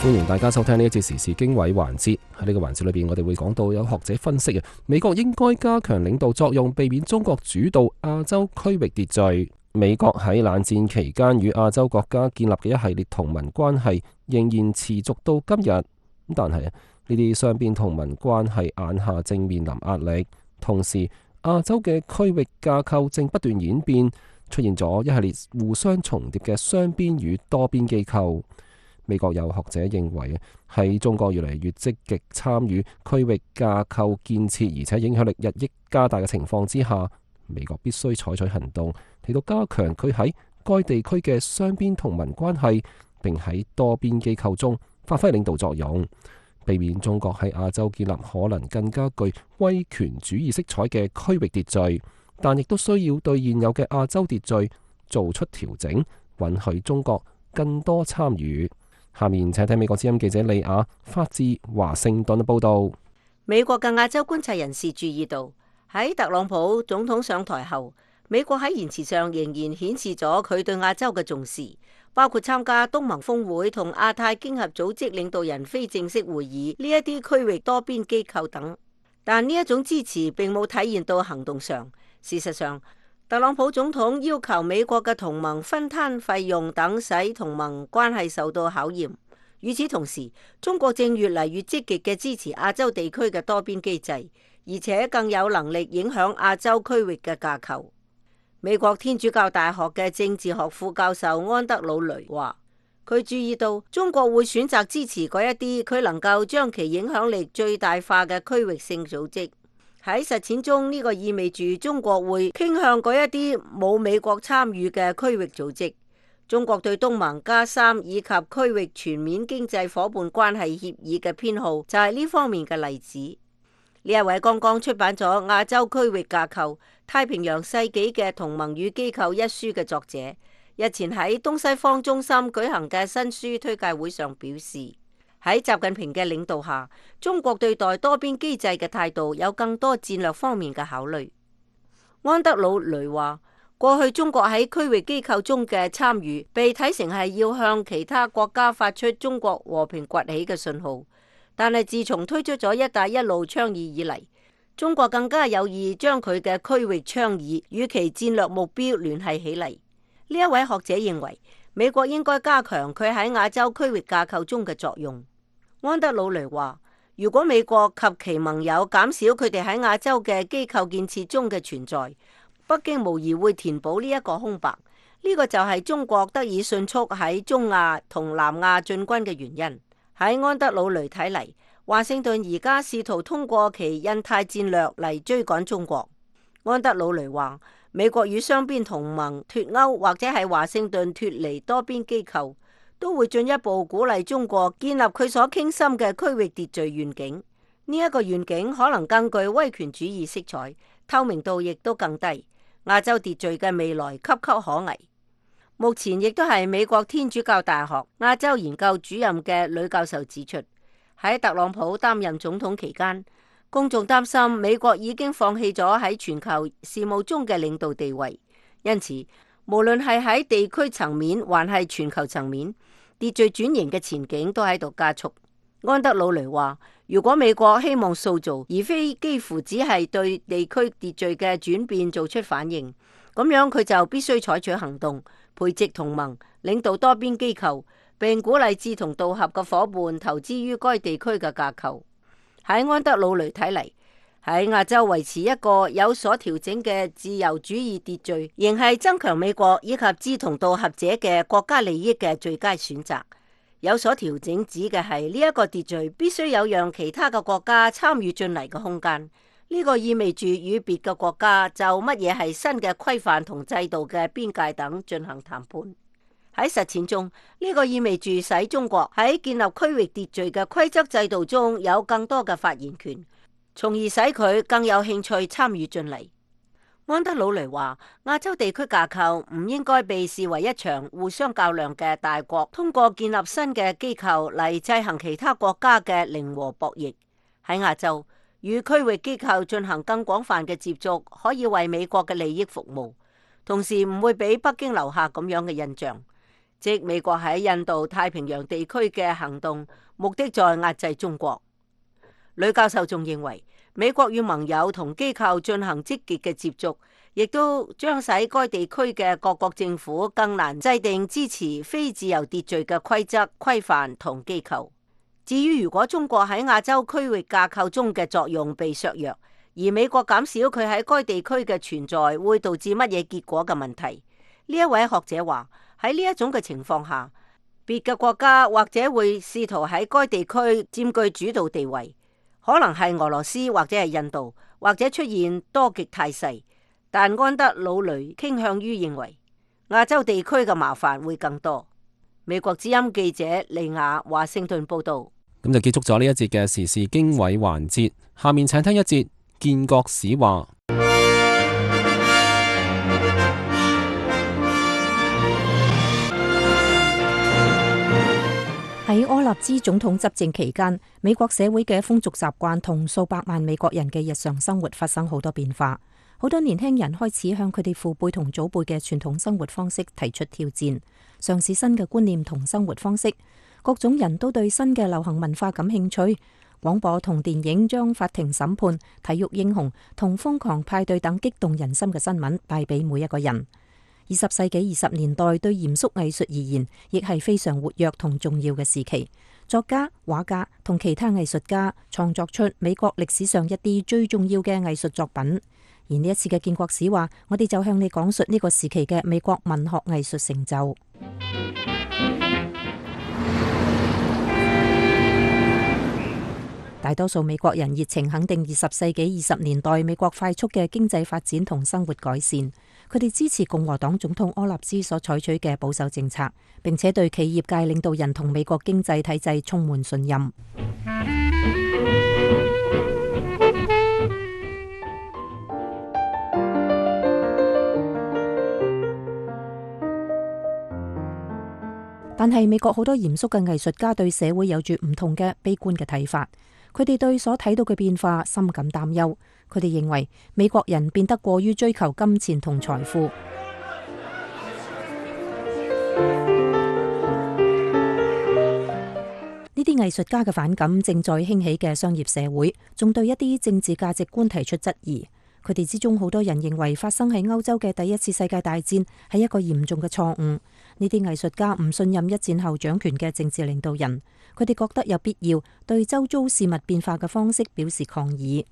歡迎大家收聽呢一節時事經緯環節。喺呢個環節裏邊，我哋會講到有學者分析嘅，美國應該加強領導作用，避免中國主導亞洲區域秩序。美國喺冷戰期間與亞洲國家建立嘅一系列同盟關係仍然持續到今日。但係呢啲雙邊同盟關係眼下正面臨壓力，同時亞洲嘅區域架構正不斷演變，出現咗一系列互相重疊嘅雙邊與多邊機構。美國有學者認為，喺中國越嚟越積極參與區域架構建設，而且影響力日益加大嘅情況之下，美國必須採取行動，嚟到加強佢喺該地區嘅雙邊同盟關係，並喺多邊機構中發揮領導作用，避免中國喺亞洲建立可能更加具威權主義色彩嘅區域秩序，但亦都需要對現有嘅亞洲秩序做出調整，允許中國更多參與。下面請睇美國之音記者李雅發自華盛頓嘅報道。美國嘅亞洲觀察人士注意到，喺特朗普總統上台後，美國喺言辭上仍然顯示咗佢對亞洲嘅重視，包括參加東盟峰會同亞太經合組織領導人非正式會議呢一啲區域多邊機構等。但呢一種支持並冇體現到行動上。事實上，特朗普總統要求美國嘅同盟分攤費用等，使同盟關係受到考驗。與此同時，中國正越嚟越積極嘅支持亞洲地區嘅多邊機制，而且更有能力影響亞洲區域嘅架構。美國天主教大學嘅政治學副教授安德魯雷話，佢注意到中國會選擇支持嗰一啲佢能夠將其影響力最大化嘅區域性組織。喺實踐中，呢個意味住中國會傾向嗰一啲冇美國參與嘅區域組織。中國對東盟加三以及區域全面經濟夥伴關係協議嘅偏好就係呢方面嘅例子。呢一位剛剛出版咗《亞洲區域架構：太平洋世紀嘅同盟與機構》一書嘅作者，日前喺東西方中心舉行嘅新書推介會上表示，喺習近平嘅領導下，中國對待多邊機制嘅態度有更多戰略方面嘅考慮。安德魯雷話，過去中國喺區域機構中嘅參與被睇成係要向其他國家發出中國和平崛起嘅信號，但係自從推出咗一帶一路倡議以嚟，中國更加有意將佢嘅區域倡議與其戰略目標聯繫起嚟。呢一位學者認為，美國應該加強佢喺亞洲區域架構中嘅作用。安德魯雷話，如果美國及其盟友減少佢哋喺亞洲嘅機構建設中嘅存在，北京無疑會填補呢一個空白。呢個就係中國得以迅速喺中亞同南亞進軍嘅原因。喺安德魯雷睇嚟，華盛頓而家試圖通過其印太戰略嚟追趕中國。安德魯雷話，美國與雙邊同盟脫鈎，或者係華盛頓脫離多邊機構，都會進一步鼓勵中國建立佢所傾心嘅區域秩序願景。呢一個願景可能更具威權主義色彩，透明度亦都更低。亞洲秩序嘅未來岌岌可危。目前亦都係美國天主教大學亞洲研究主任嘅呂教授指出，喺特朗普擔任總統期間，公眾擔心美國已經放棄咗喺全球事務中嘅領導地位，因此無論係喺地區層面還係全球層面，秩序轉型嘅前景都喺度加速。安德魯雷話，如果美國希望塑造而非幾乎只係對地區秩序嘅轉變做出反應，咁樣佢就必須採取行動，培植同盟，領導多邊機構，並鼓勵志同道合嘅夥伴投資於該地區嘅架構。喺安德魯雷睇嚟，喺亞洲維持一個有所調整嘅自由主義秩序，仍係增強美國以及志同道合者嘅國家利益嘅最佳選擇。有所調整指嘅係呢一個秩序必須有讓其他嘅國家參與進嚟嘅空間，呢個意味住與別嘅國家就乜嘢係新嘅規範同制度嘅邊界等進行談判。喺實踐中，呢個意味住使中國喺建立區域秩序嘅規則制度中有更多嘅發言權，從而使佢更有興趣參與進嚟。安德魯雷話：亞洲地區架構唔應該被視為一場互相較量嘅大國通過建立新嘅機構嚟制衡其他國家嘅零和博弈。喺亞洲，與區域機構進行更廣泛嘅接觸，可以為美國嘅利益服務，同時唔會俾北京留下咁樣嘅印象，即美國喺印度太平洋地區嘅行動目的在壓制中國。呂教授仲認為，美國與盟友同機構進行積極嘅接觸，亦都將使該地區嘅各國政府更難制定支持非自由秩序嘅規則、規範同機構。至於如果中國喺亞洲區域架構中嘅作用被削弱，而美國減少佢喺該地區嘅存在，會導致乜嘢結果嘅問題？呢一位學者話：喺呢一種嘅情況下，別嘅國家或者會試圖喺該地區佔據主導地位。可能係俄羅斯或者係印度，或者出現多極態勢，但安德魯雷傾向於認為亞洲地區嘅麻煩會更多。美國之音記者利亞華盛頓報道。咁就結束咗呢一節嘅時事經緯環節，下面請聽一節建國史話。喺柯納茲總統執政期間，美國社會嘅風俗習慣同數百萬美國人嘅日常生活發生好多變化。好多年輕人開始向佢哋父輩同祖輩嘅傳統生活方式提出挑戰，嘗試新嘅觀念同生活方式。各種人都對新嘅流行文化感興趣。廣播同電影將法庭審判、體育英雄同瘋狂派對等激動人心嘅新聞帶俾每一個人。二十世紀二十年代對嚴肅藝術而言，亦係非常活躍同重要嘅時期。作家、畫家同其他藝術家創作出美國歷史上一啲最重要嘅藝術作品。而呢一次嘅建國史話，我哋就向你講述呢個時期嘅美國文學藝術成就。大多數美國人熱情肯定二十世紀二十年代美國快速嘅經濟發展同生活改善。佢哋支持共和黨總統柯納茲所採取嘅保守政策，並且對企業界領導人同美國經濟體制充滿信任。但係美國好多嚴肅嘅藝術家對社會有住唔同嘅悲觀嘅睇法。佢哋對所睇到嘅變化深感擔憂。佢哋認為美國人變得過於追求金錢同財富。呢啲藝術家嘅反感正在興起嘅商業社會，仲對一啲政治價值觀提出質疑。佢哋之中好多人認為發生喺歐洲嘅第一次世界大戰係一個嚴重嘅錯誤。呢啲藝術家唔信任一戰後掌權嘅政治領導人，佢哋覺得有必要對周遭事物變化嘅方式表示抗議。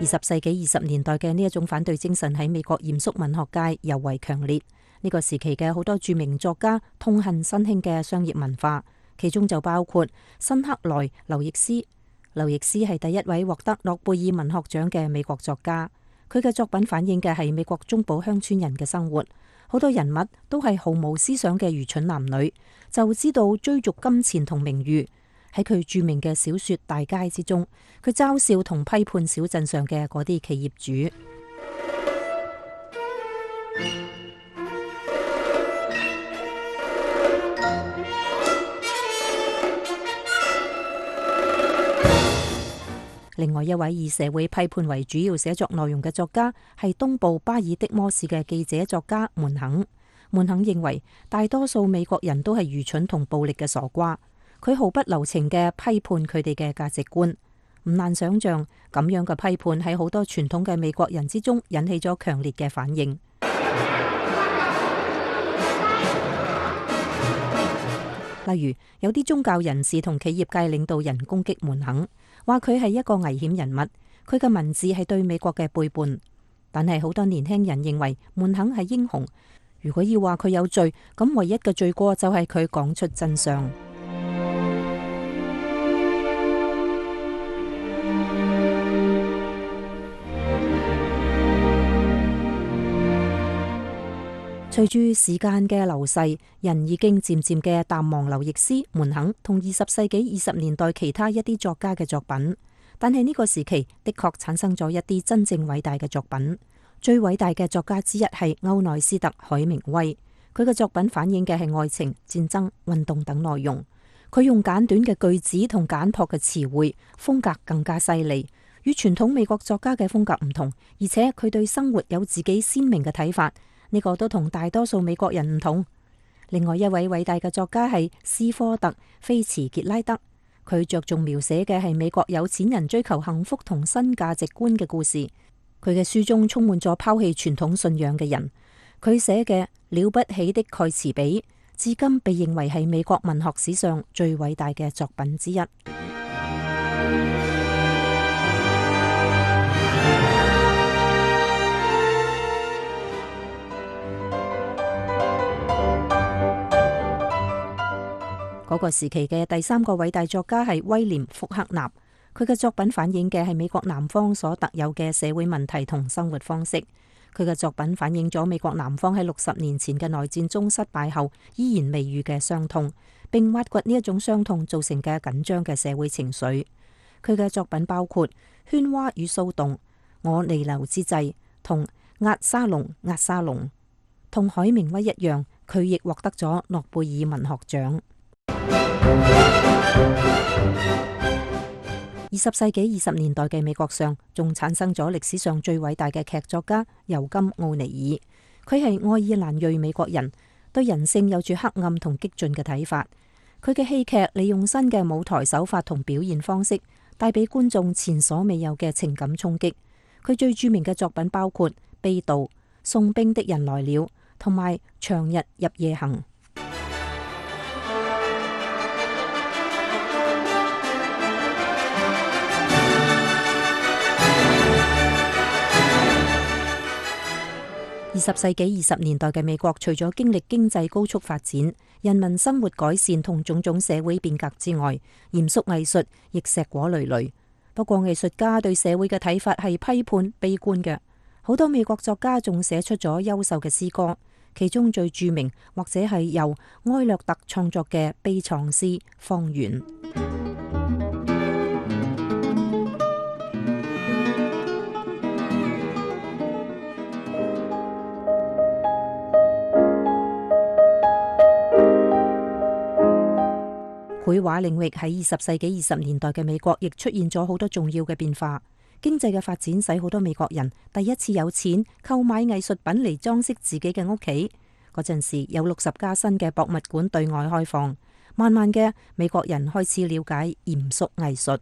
二十世紀二十年代嘅呢一種反對精神喺美國嚴肅文學界尤為強烈。呢個時期嘅好多著名作家痛恨新興嘅商業文化，其中就包括辛克萊、劉易斯。劉易斯係第一位獲得諾貝爾文學獎嘅美國作家，佢嘅作品反映嘅係美國中部鄉村人嘅生活，好多人物都係毫無思想嘅愚蠢男女，就知道追逐金錢同名譽。喺佢著名嘅小說《大街》之中，佢嘲笑同批判小鎮上嘅嗰啲企業主。另外一位以社會批判為主要寫作內容嘅作家係東部巴爾的摩市嘅記者作家門肯。門肯認為大多數美國人都係愚蠢同暴力嘅傻瓜，佢毫不留情嘅批判佢哋嘅價值觀。唔難想象，咁樣嘅批判喺好多傳統嘅美國人之中引起咗強烈嘅反應。例如，有啲宗教人士同企業界領導人攻擊門肯，話佢係一個危險人物，佢嘅文字係對美國嘅背叛。但係好多年輕人認為門肯係英雄，如果要話佢有罪，咁唯一嘅罪過就係佢講出真相。隨住時間嘅流逝，人已經漸漸嘅淡忘劉易斯、門肯同二十世紀二十年代其他一啲作家嘅作品。但係呢個時期的確產生咗一啲真正偉大嘅作品。最偉大嘅作家之一係歐內斯特·海明威，佢嘅作品反映嘅係愛情、戰爭、運動等內容。佢用簡短嘅句子同簡樸嘅詞彙，風格更加犀利，與傳統美國作家嘅風格唔同，而且佢對生活有自己鮮明嘅睇法。呢個都同大多數美國人唔同。另外一位偉大嘅作家係斯科特·菲茨傑拉德，佢着重描寫嘅係美國有錢人追求幸福同新價值觀嘅故事。佢嘅書中充滿咗拋棄傳統信仰嘅人。佢寫嘅《了不起的蓋茨比》至今被認為係美國文學史上最偉大嘅作品之一。嗰個時期嘅第三個偉大作家係威廉·福克納，佢嘅作品反映嘅係美國南方所特有嘅社會問題同生活方式。佢嘅作品反映咗美國南方喺六十年前嘅內戰中失敗後依然未愈嘅傷痛，並挖掘呢一種傷痛造成嘅緊張嘅社會情緒。佢嘅作品包括《喧嘩與騷動》、《我彌留之際》同《押沙龍押沙龍》。同海明威一樣，佢亦獲得咗諾貝爾文學獎。二十世紀二十年代嘅美國上，仲產生咗歷史上最偉大嘅劇作家尤金·奧尼爾。佢係愛爾蘭裔美國人，對人性有住黑暗同激進嘅睇法。佢嘅戲劇利用新嘅舞台手法同表現方式，帶俾觀眾前所未有嘅情感衝擊。佢最著名嘅作品包括《被盜》、《送兵的人來了》同埋《長日入夜行》。二十世紀二十年代嘅美國，除咗經歷經濟高速發展、人民生活改善同種種社會變革之外，嚴肅藝術亦碩果累累。不過藝術家對社會嘅睇法係批判、悲觀嘅。好多美國作家仲寫出咗優秀嘅詩歌，其中最著名或者係由埃略特創作嘅悲愴詩《荒原》。繪畫領域喺二十世紀二十年代嘅美國，亦出現咗好多重要嘅變化。經濟嘅發展使好多美國人第一次有錢購買藝術品嚟裝飾自己嘅屋企。嗰陣時有六十家新嘅博物館對外開放，慢慢嘅美國人開始了解嚴肅藝術。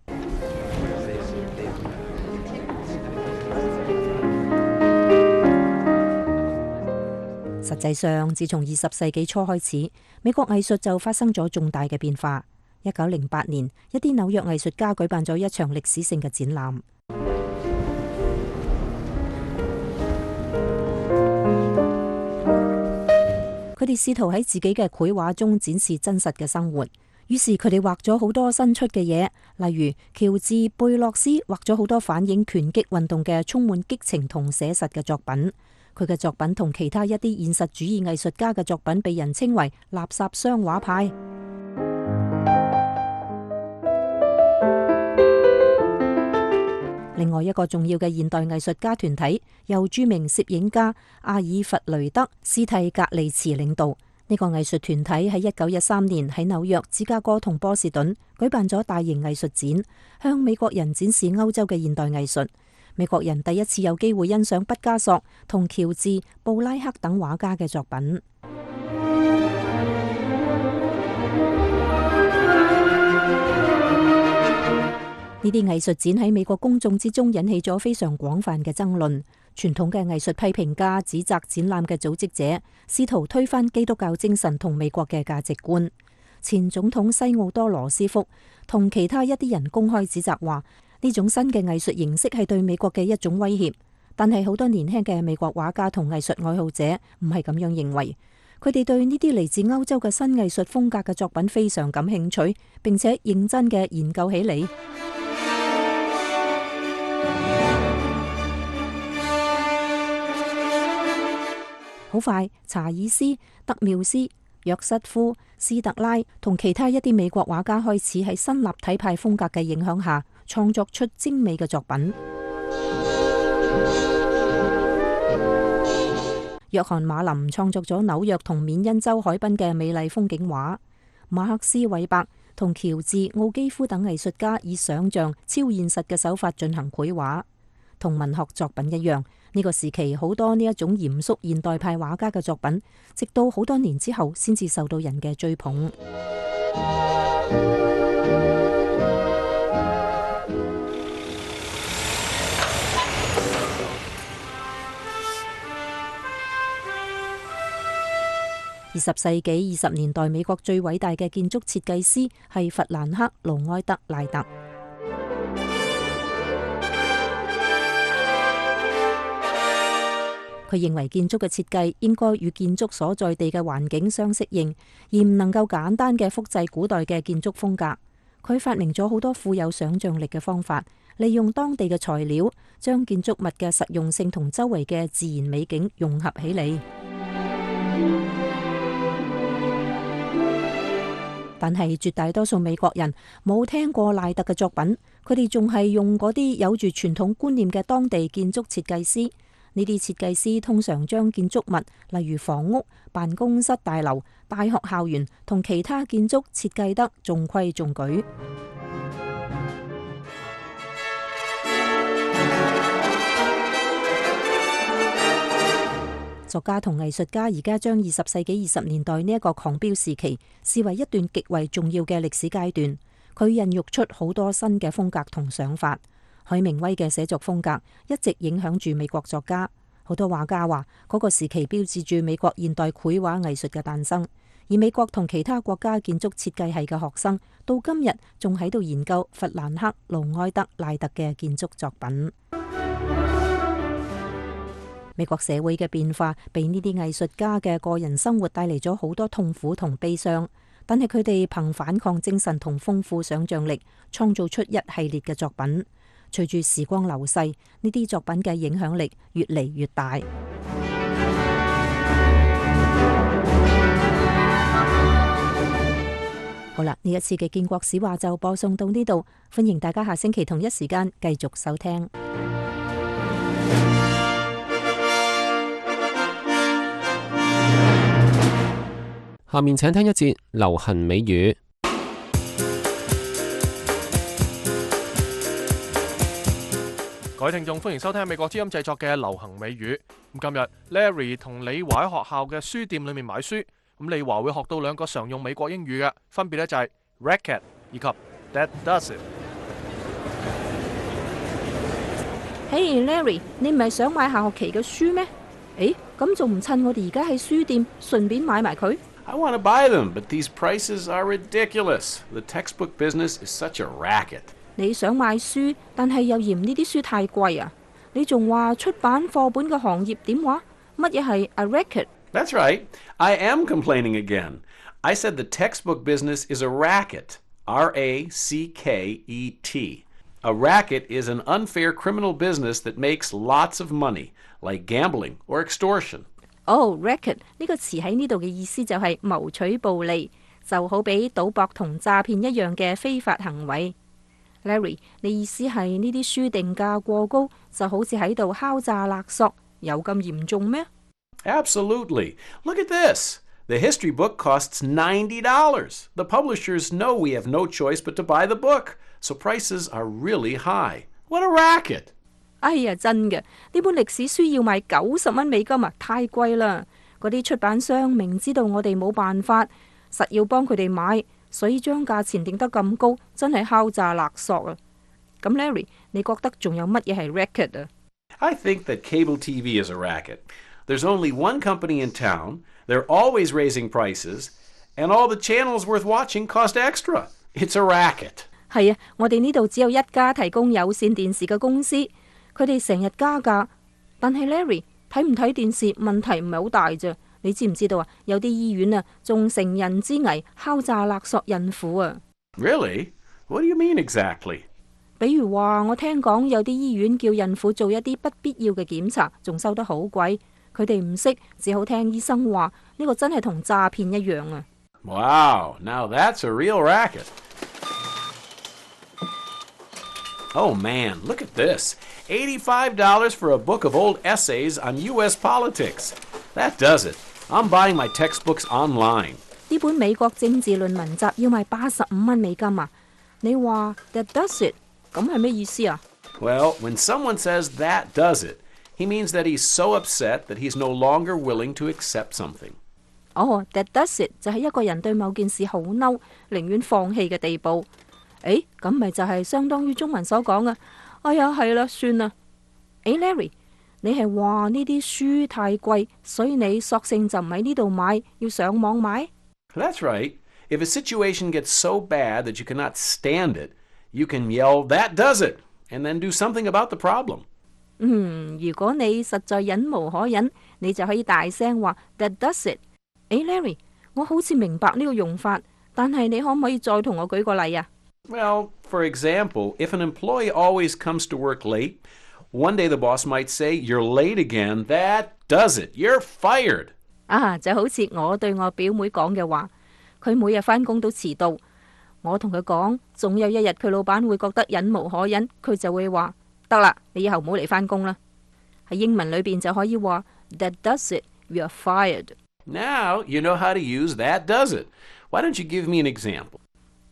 實際上，自從二十世紀初開始，美國藝術就發生咗重大嘅變化。一九零八年，一啲紐約藝術家舉辦咗一場歷史性嘅展覽。佢哋試圖喺自己嘅繪畫中展示真實嘅生活，於是佢哋畫咗好多新出嘅嘢，例如喬治·貝洛斯畫咗好多反映拳擊運動嘅充滿激情同寫實嘅作品。佢嘅作品同其他一啲現實主義藝術家嘅作品被人稱為垃圾箱畫派。另外一個重要嘅現代藝術家團體由著名攝影家阿爾弗雷德·斯蒂格利茨領導。呢個藝術團體喺一九一三年喺紐約、芝加哥同波士頓舉辦咗大型藝術展，向美國人展示歐洲嘅現代藝術。美國人第一次有機會欣賞畢加索同喬治·布拉克等畫家嘅作品。呢啲藝術展喺美國公眾之中引起咗非常廣泛嘅爭論。傳統嘅藝術批評家指責展覽嘅組織者試圖推翻基督教精神同美國嘅價值觀。前總統西奧多·羅斯福同其他一啲人公開指責話，呢種新嘅藝術形式係對美國嘅一種威脅。但係好多年輕嘅美國畫家同藝術愛好者唔係咁樣認為，佢哋對呢啲嚟自歐洲嘅新藝術風格嘅作品非常感興趣，並且認真嘅研究起嚟。好快，查爾斯、德繆斯、約瑟夫、斯特拉同其他一啲美國畫家開始喺新立體派風格嘅影響下，創作出精美嘅作品。約翰馬林創作咗紐約同緬因州海濱嘅美麗風景畫，馬克思韋伯同喬治奧基夫等藝術家以想象超現實嘅手法進行繪畫。同文學作品一樣，呢個時期好多呢一種嚴肅現代派畫家嘅作品，直到好多年之後先至受到人嘅追捧。二十世紀二十年代美國最偉大嘅建築設計師係弗蘭克·盧埃德·賴特。佢認為建築嘅設計應該與建築所在地嘅環境相適應，而唔能夠簡單嘅複製古代嘅建築風格。佢發明咗好多富有想像力嘅方法，利用當地嘅材料，將建築物嘅實用性同周圍嘅自然美景融合起嚟。但係絕大多數美國人冇聽過賴特嘅作品，佢哋仲係用嗰啲有住傳統觀念嘅當地建築設計師。呢啲設計師通常將建築物，例如房屋、辦公室大樓、大學校園同其他建築設計得中規中矩。作家同藝術家而家將二十世紀二十年代呢一個狂飆時期視為一段極為重要嘅歷史階段。佢孕育出好多新嘅風格同想法。海明威嘅寫作風格一直影響住美國作家。好多畫家話嗰個時期標誌住美國現代繪畫藝術嘅誕生。而美國同其他國家建築設計系嘅學生到今日仲喺度研究弗蘭克·盧埃德·賴特嘅建築作品。美國社會嘅變化俾呢啲藝術家嘅個人生活帶嚟咗好多痛苦同悲傷，但係佢哋憑反抗精神同豐富想像力，創造出一系列嘅作品。隨住時光流逝，呢啲作品嘅影響力越嚟越大。好啦，呢一次嘅建國史話就播送到呢度，歡迎大家下星期同一時間繼續收聽。下面請聽一節流行美語。各位聽眾，歡迎收聽美國之音製作嘅流行美語。咁今日 Larry 同李華喺學校嘅書店裏面買書，咁李華會學到兩個常用美國英語嘅，分別咧就係 racket 以及 that does it。Hey Larry，你唔係想買下學期嘅書咩？誒，咁仲唔趁我哋而家喺書店順便買埋佢？I want to buy them, but these prices are ridiculous. The textbook business is such a racket. 你想買書，但係又嫌呢啲書太貴啊！你仲話出版課本嘅行業點話？乜嘢係 a racket？ That's right. I am complaining again. I said the textbook business is a racket. R A C K E T. A racket is an unfair criminal business that makes lots of money, like gambling or extortion. 哦、oh, racket 呢個詞喺呢度嘅意思就係謀取暴利，就好比賭博同詐騙一樣嘅非法行為。Larry， 你意思係呢啲書定價過高，就好似喺度敲詐勒索，有咁嚴重咩？ Absolutely. Look at this. The history book costs ninety dollars. The publishers know we have no choice but to buy the book, so prices are really high. What a racket! 哎呀，真嘅，呢本歷史書要賣九十蚊美金啊，太貴啦！嗰啲出版商明知道我哋冇辦法，實要幫佢哋買，所以將價錢定得咁高，真係敲詐勒索啊！咁 Larry， 你覺得仲有乜嘢係 racket 啊？ I think that cable T V is a racket. There's only one company in town. They're always raising prices, and all the channels worth watching cost extra. It's a racket. 係啊，我哋呢度只有一家提供有線電視嘅公司。佢哋成日加價，但係 Larry 睇唔睇電視問題唔係好大啫。你知唔知道啊？有啲醫院啊，仲乘人之危敲詐勒索孕婦啊。Really? What do you mean exactly? 比如話，我聽講有啲醫院叫孕婦做一啲不必要嘅檢查，仲收得好貴。佢哋唔識，只好聽醫生話，呢個真係同詐騙一樣啊。Wow, now that's a real racket. Oh man, look at this. eighty-five dollars for a book of old essays on U S politics. That does it. I'm buying my textbooks online. 呢本美國政治論文集要賣八十五蚊美金啊！你話 That does it， 咁係咩意思啊？ Well, when someone says that does it, he means that he's so upset that he's no longer willing to accept something. 哦、oh, That does it 就係一個人對某件事好嬲，寧願放棄嘅地步。誒，咁咪就係相當於中文所講嘅。哎呀，係啦，算啦。誒 ，Larry。你係話呢啲書太貴，所以你索性就唔喺呢度買，要上網買？ That's right. If a situation gets so bad that you cannot stand it, you can yell, "That does it," and then do something about the problem. 嗯，如果你實在忍無可忍，你就可以大聲話 That does it。誒 ，Larry， 我好似明白呢個用法，但係你可唔可以再同我舉個例啊？ Well, for example, if an employee always comes to work late, one day the boss might say, "You're late again. That does it. You're fired." 啊，就好似我對我表妹講嘅話，佢每日返工都遲到。我同佢講，總有一日佢老闆會覺得忍無可忍，佢就會話：得啦，你以後唔好嚟返工啦。喺英文裏邊就可以話 That does it. You're fired. Now you know how to use that does it. Why don't you give me an example?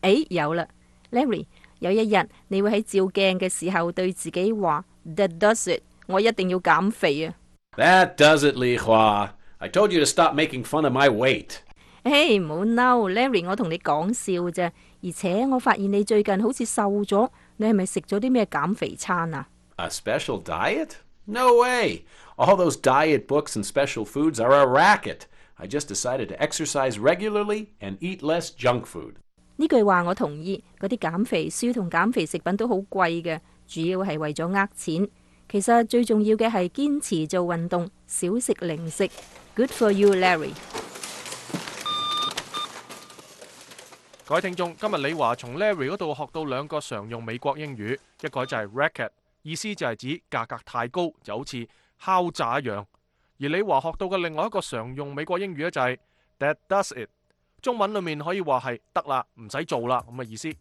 誒，有啦 ，Larry， 有一日你會喺照鏡嘅時候對自己話。That does it. 我一定要減肥啊！ That does it, Li Hua. I told you to stop making fun of my weight. 誒，唔好嬲 ，Larry， 我同你講笑啫。而且我發現你最近好似瘦咗，你係咪食咗啲咩減肥餐啊？ A special diet? No way. All those diet books and special foods are a racket. I just decided to exercise regularly and eat less junk food. 呢句話我同意，嗰啲減肥書同減肥食品都好貴嘅。主要係為咗呃錢，其實最重要嘅係堅持做運動，少食零食。Good for you, Larry。各位聽眾，今日李華從 Larry 嗰度學到兩個常用美國英語，一個就係 racket， 意思就係指價格太高，就好似敲詐一樣。而李華學到嘅另外一個常用美國英語咧就係 That does it， 中文裏面可以話係得啦，唔使做啦咁嘅意思。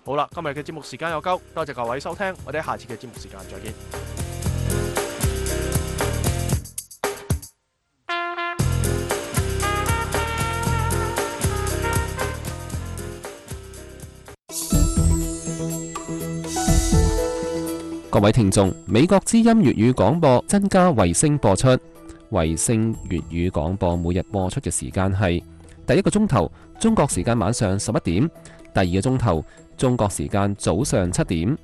好啦，今日嘅節目時間有夠，多謝各位收聽，我哋下次嘅節目時間再見。各位聽眾，美國之音粵語廣播增加衛星播出，衛星粵語廣播每日播出嘅時間係第一個鐘頭中國時間晚上十一點，第二個鐘頭中國時間早上七點。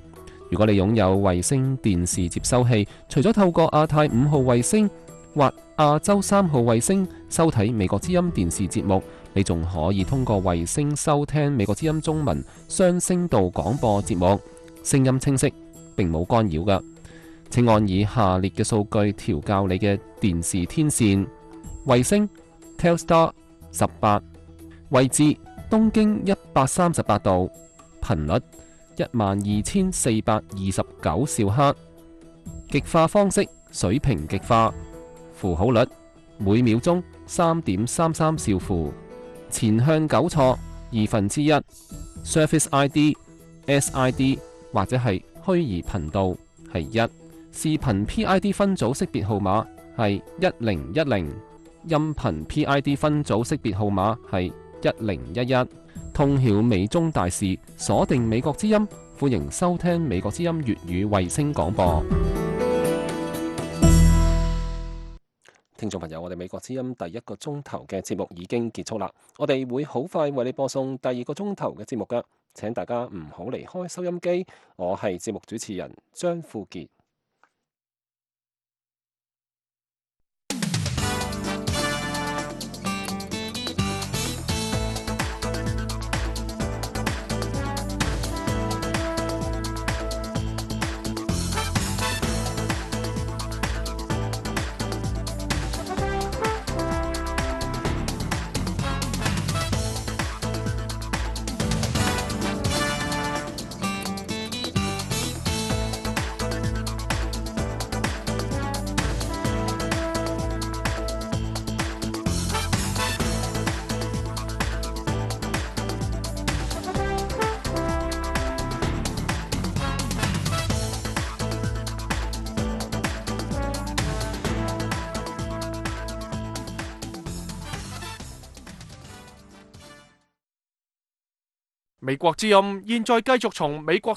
如果你擁有衛星電視接收器，除咗透過亞太五號衛星或亞洲三號衛星收睇美國之音電視節目，你仲可以通過衛星收聽美國之音中文雙聲道廣播節目，聲音清晰，並冇干擾㗎。請按以下列嘅數據調校你嘅電視天線：衛星 Telstar 十八，位置東經一百三十八度，頻率一萬二千四百二十九兆赫，極化方式水平極化，符號率每秒鐘三點三三兆符，前向糾錯二分之一 ，Service I D、S I D 或者係虛擬頻道係一，視頻 P I D 分組識別號碼係一零一零，音頻 P I D 分組識別號碼係一零一一。通曉美中大事，鎖定美國之音，歡迎收聽美國之音粵語衛星廣播。聽眾朋友，我哋美國之音第一個鐘頭嘅節目已經結束啦，我哋會好快為你播送第二個鐘頭嘅節目㗎，請大家唔好離開收音機。我係節目主持人張富傑。美國之音現在繼續從美國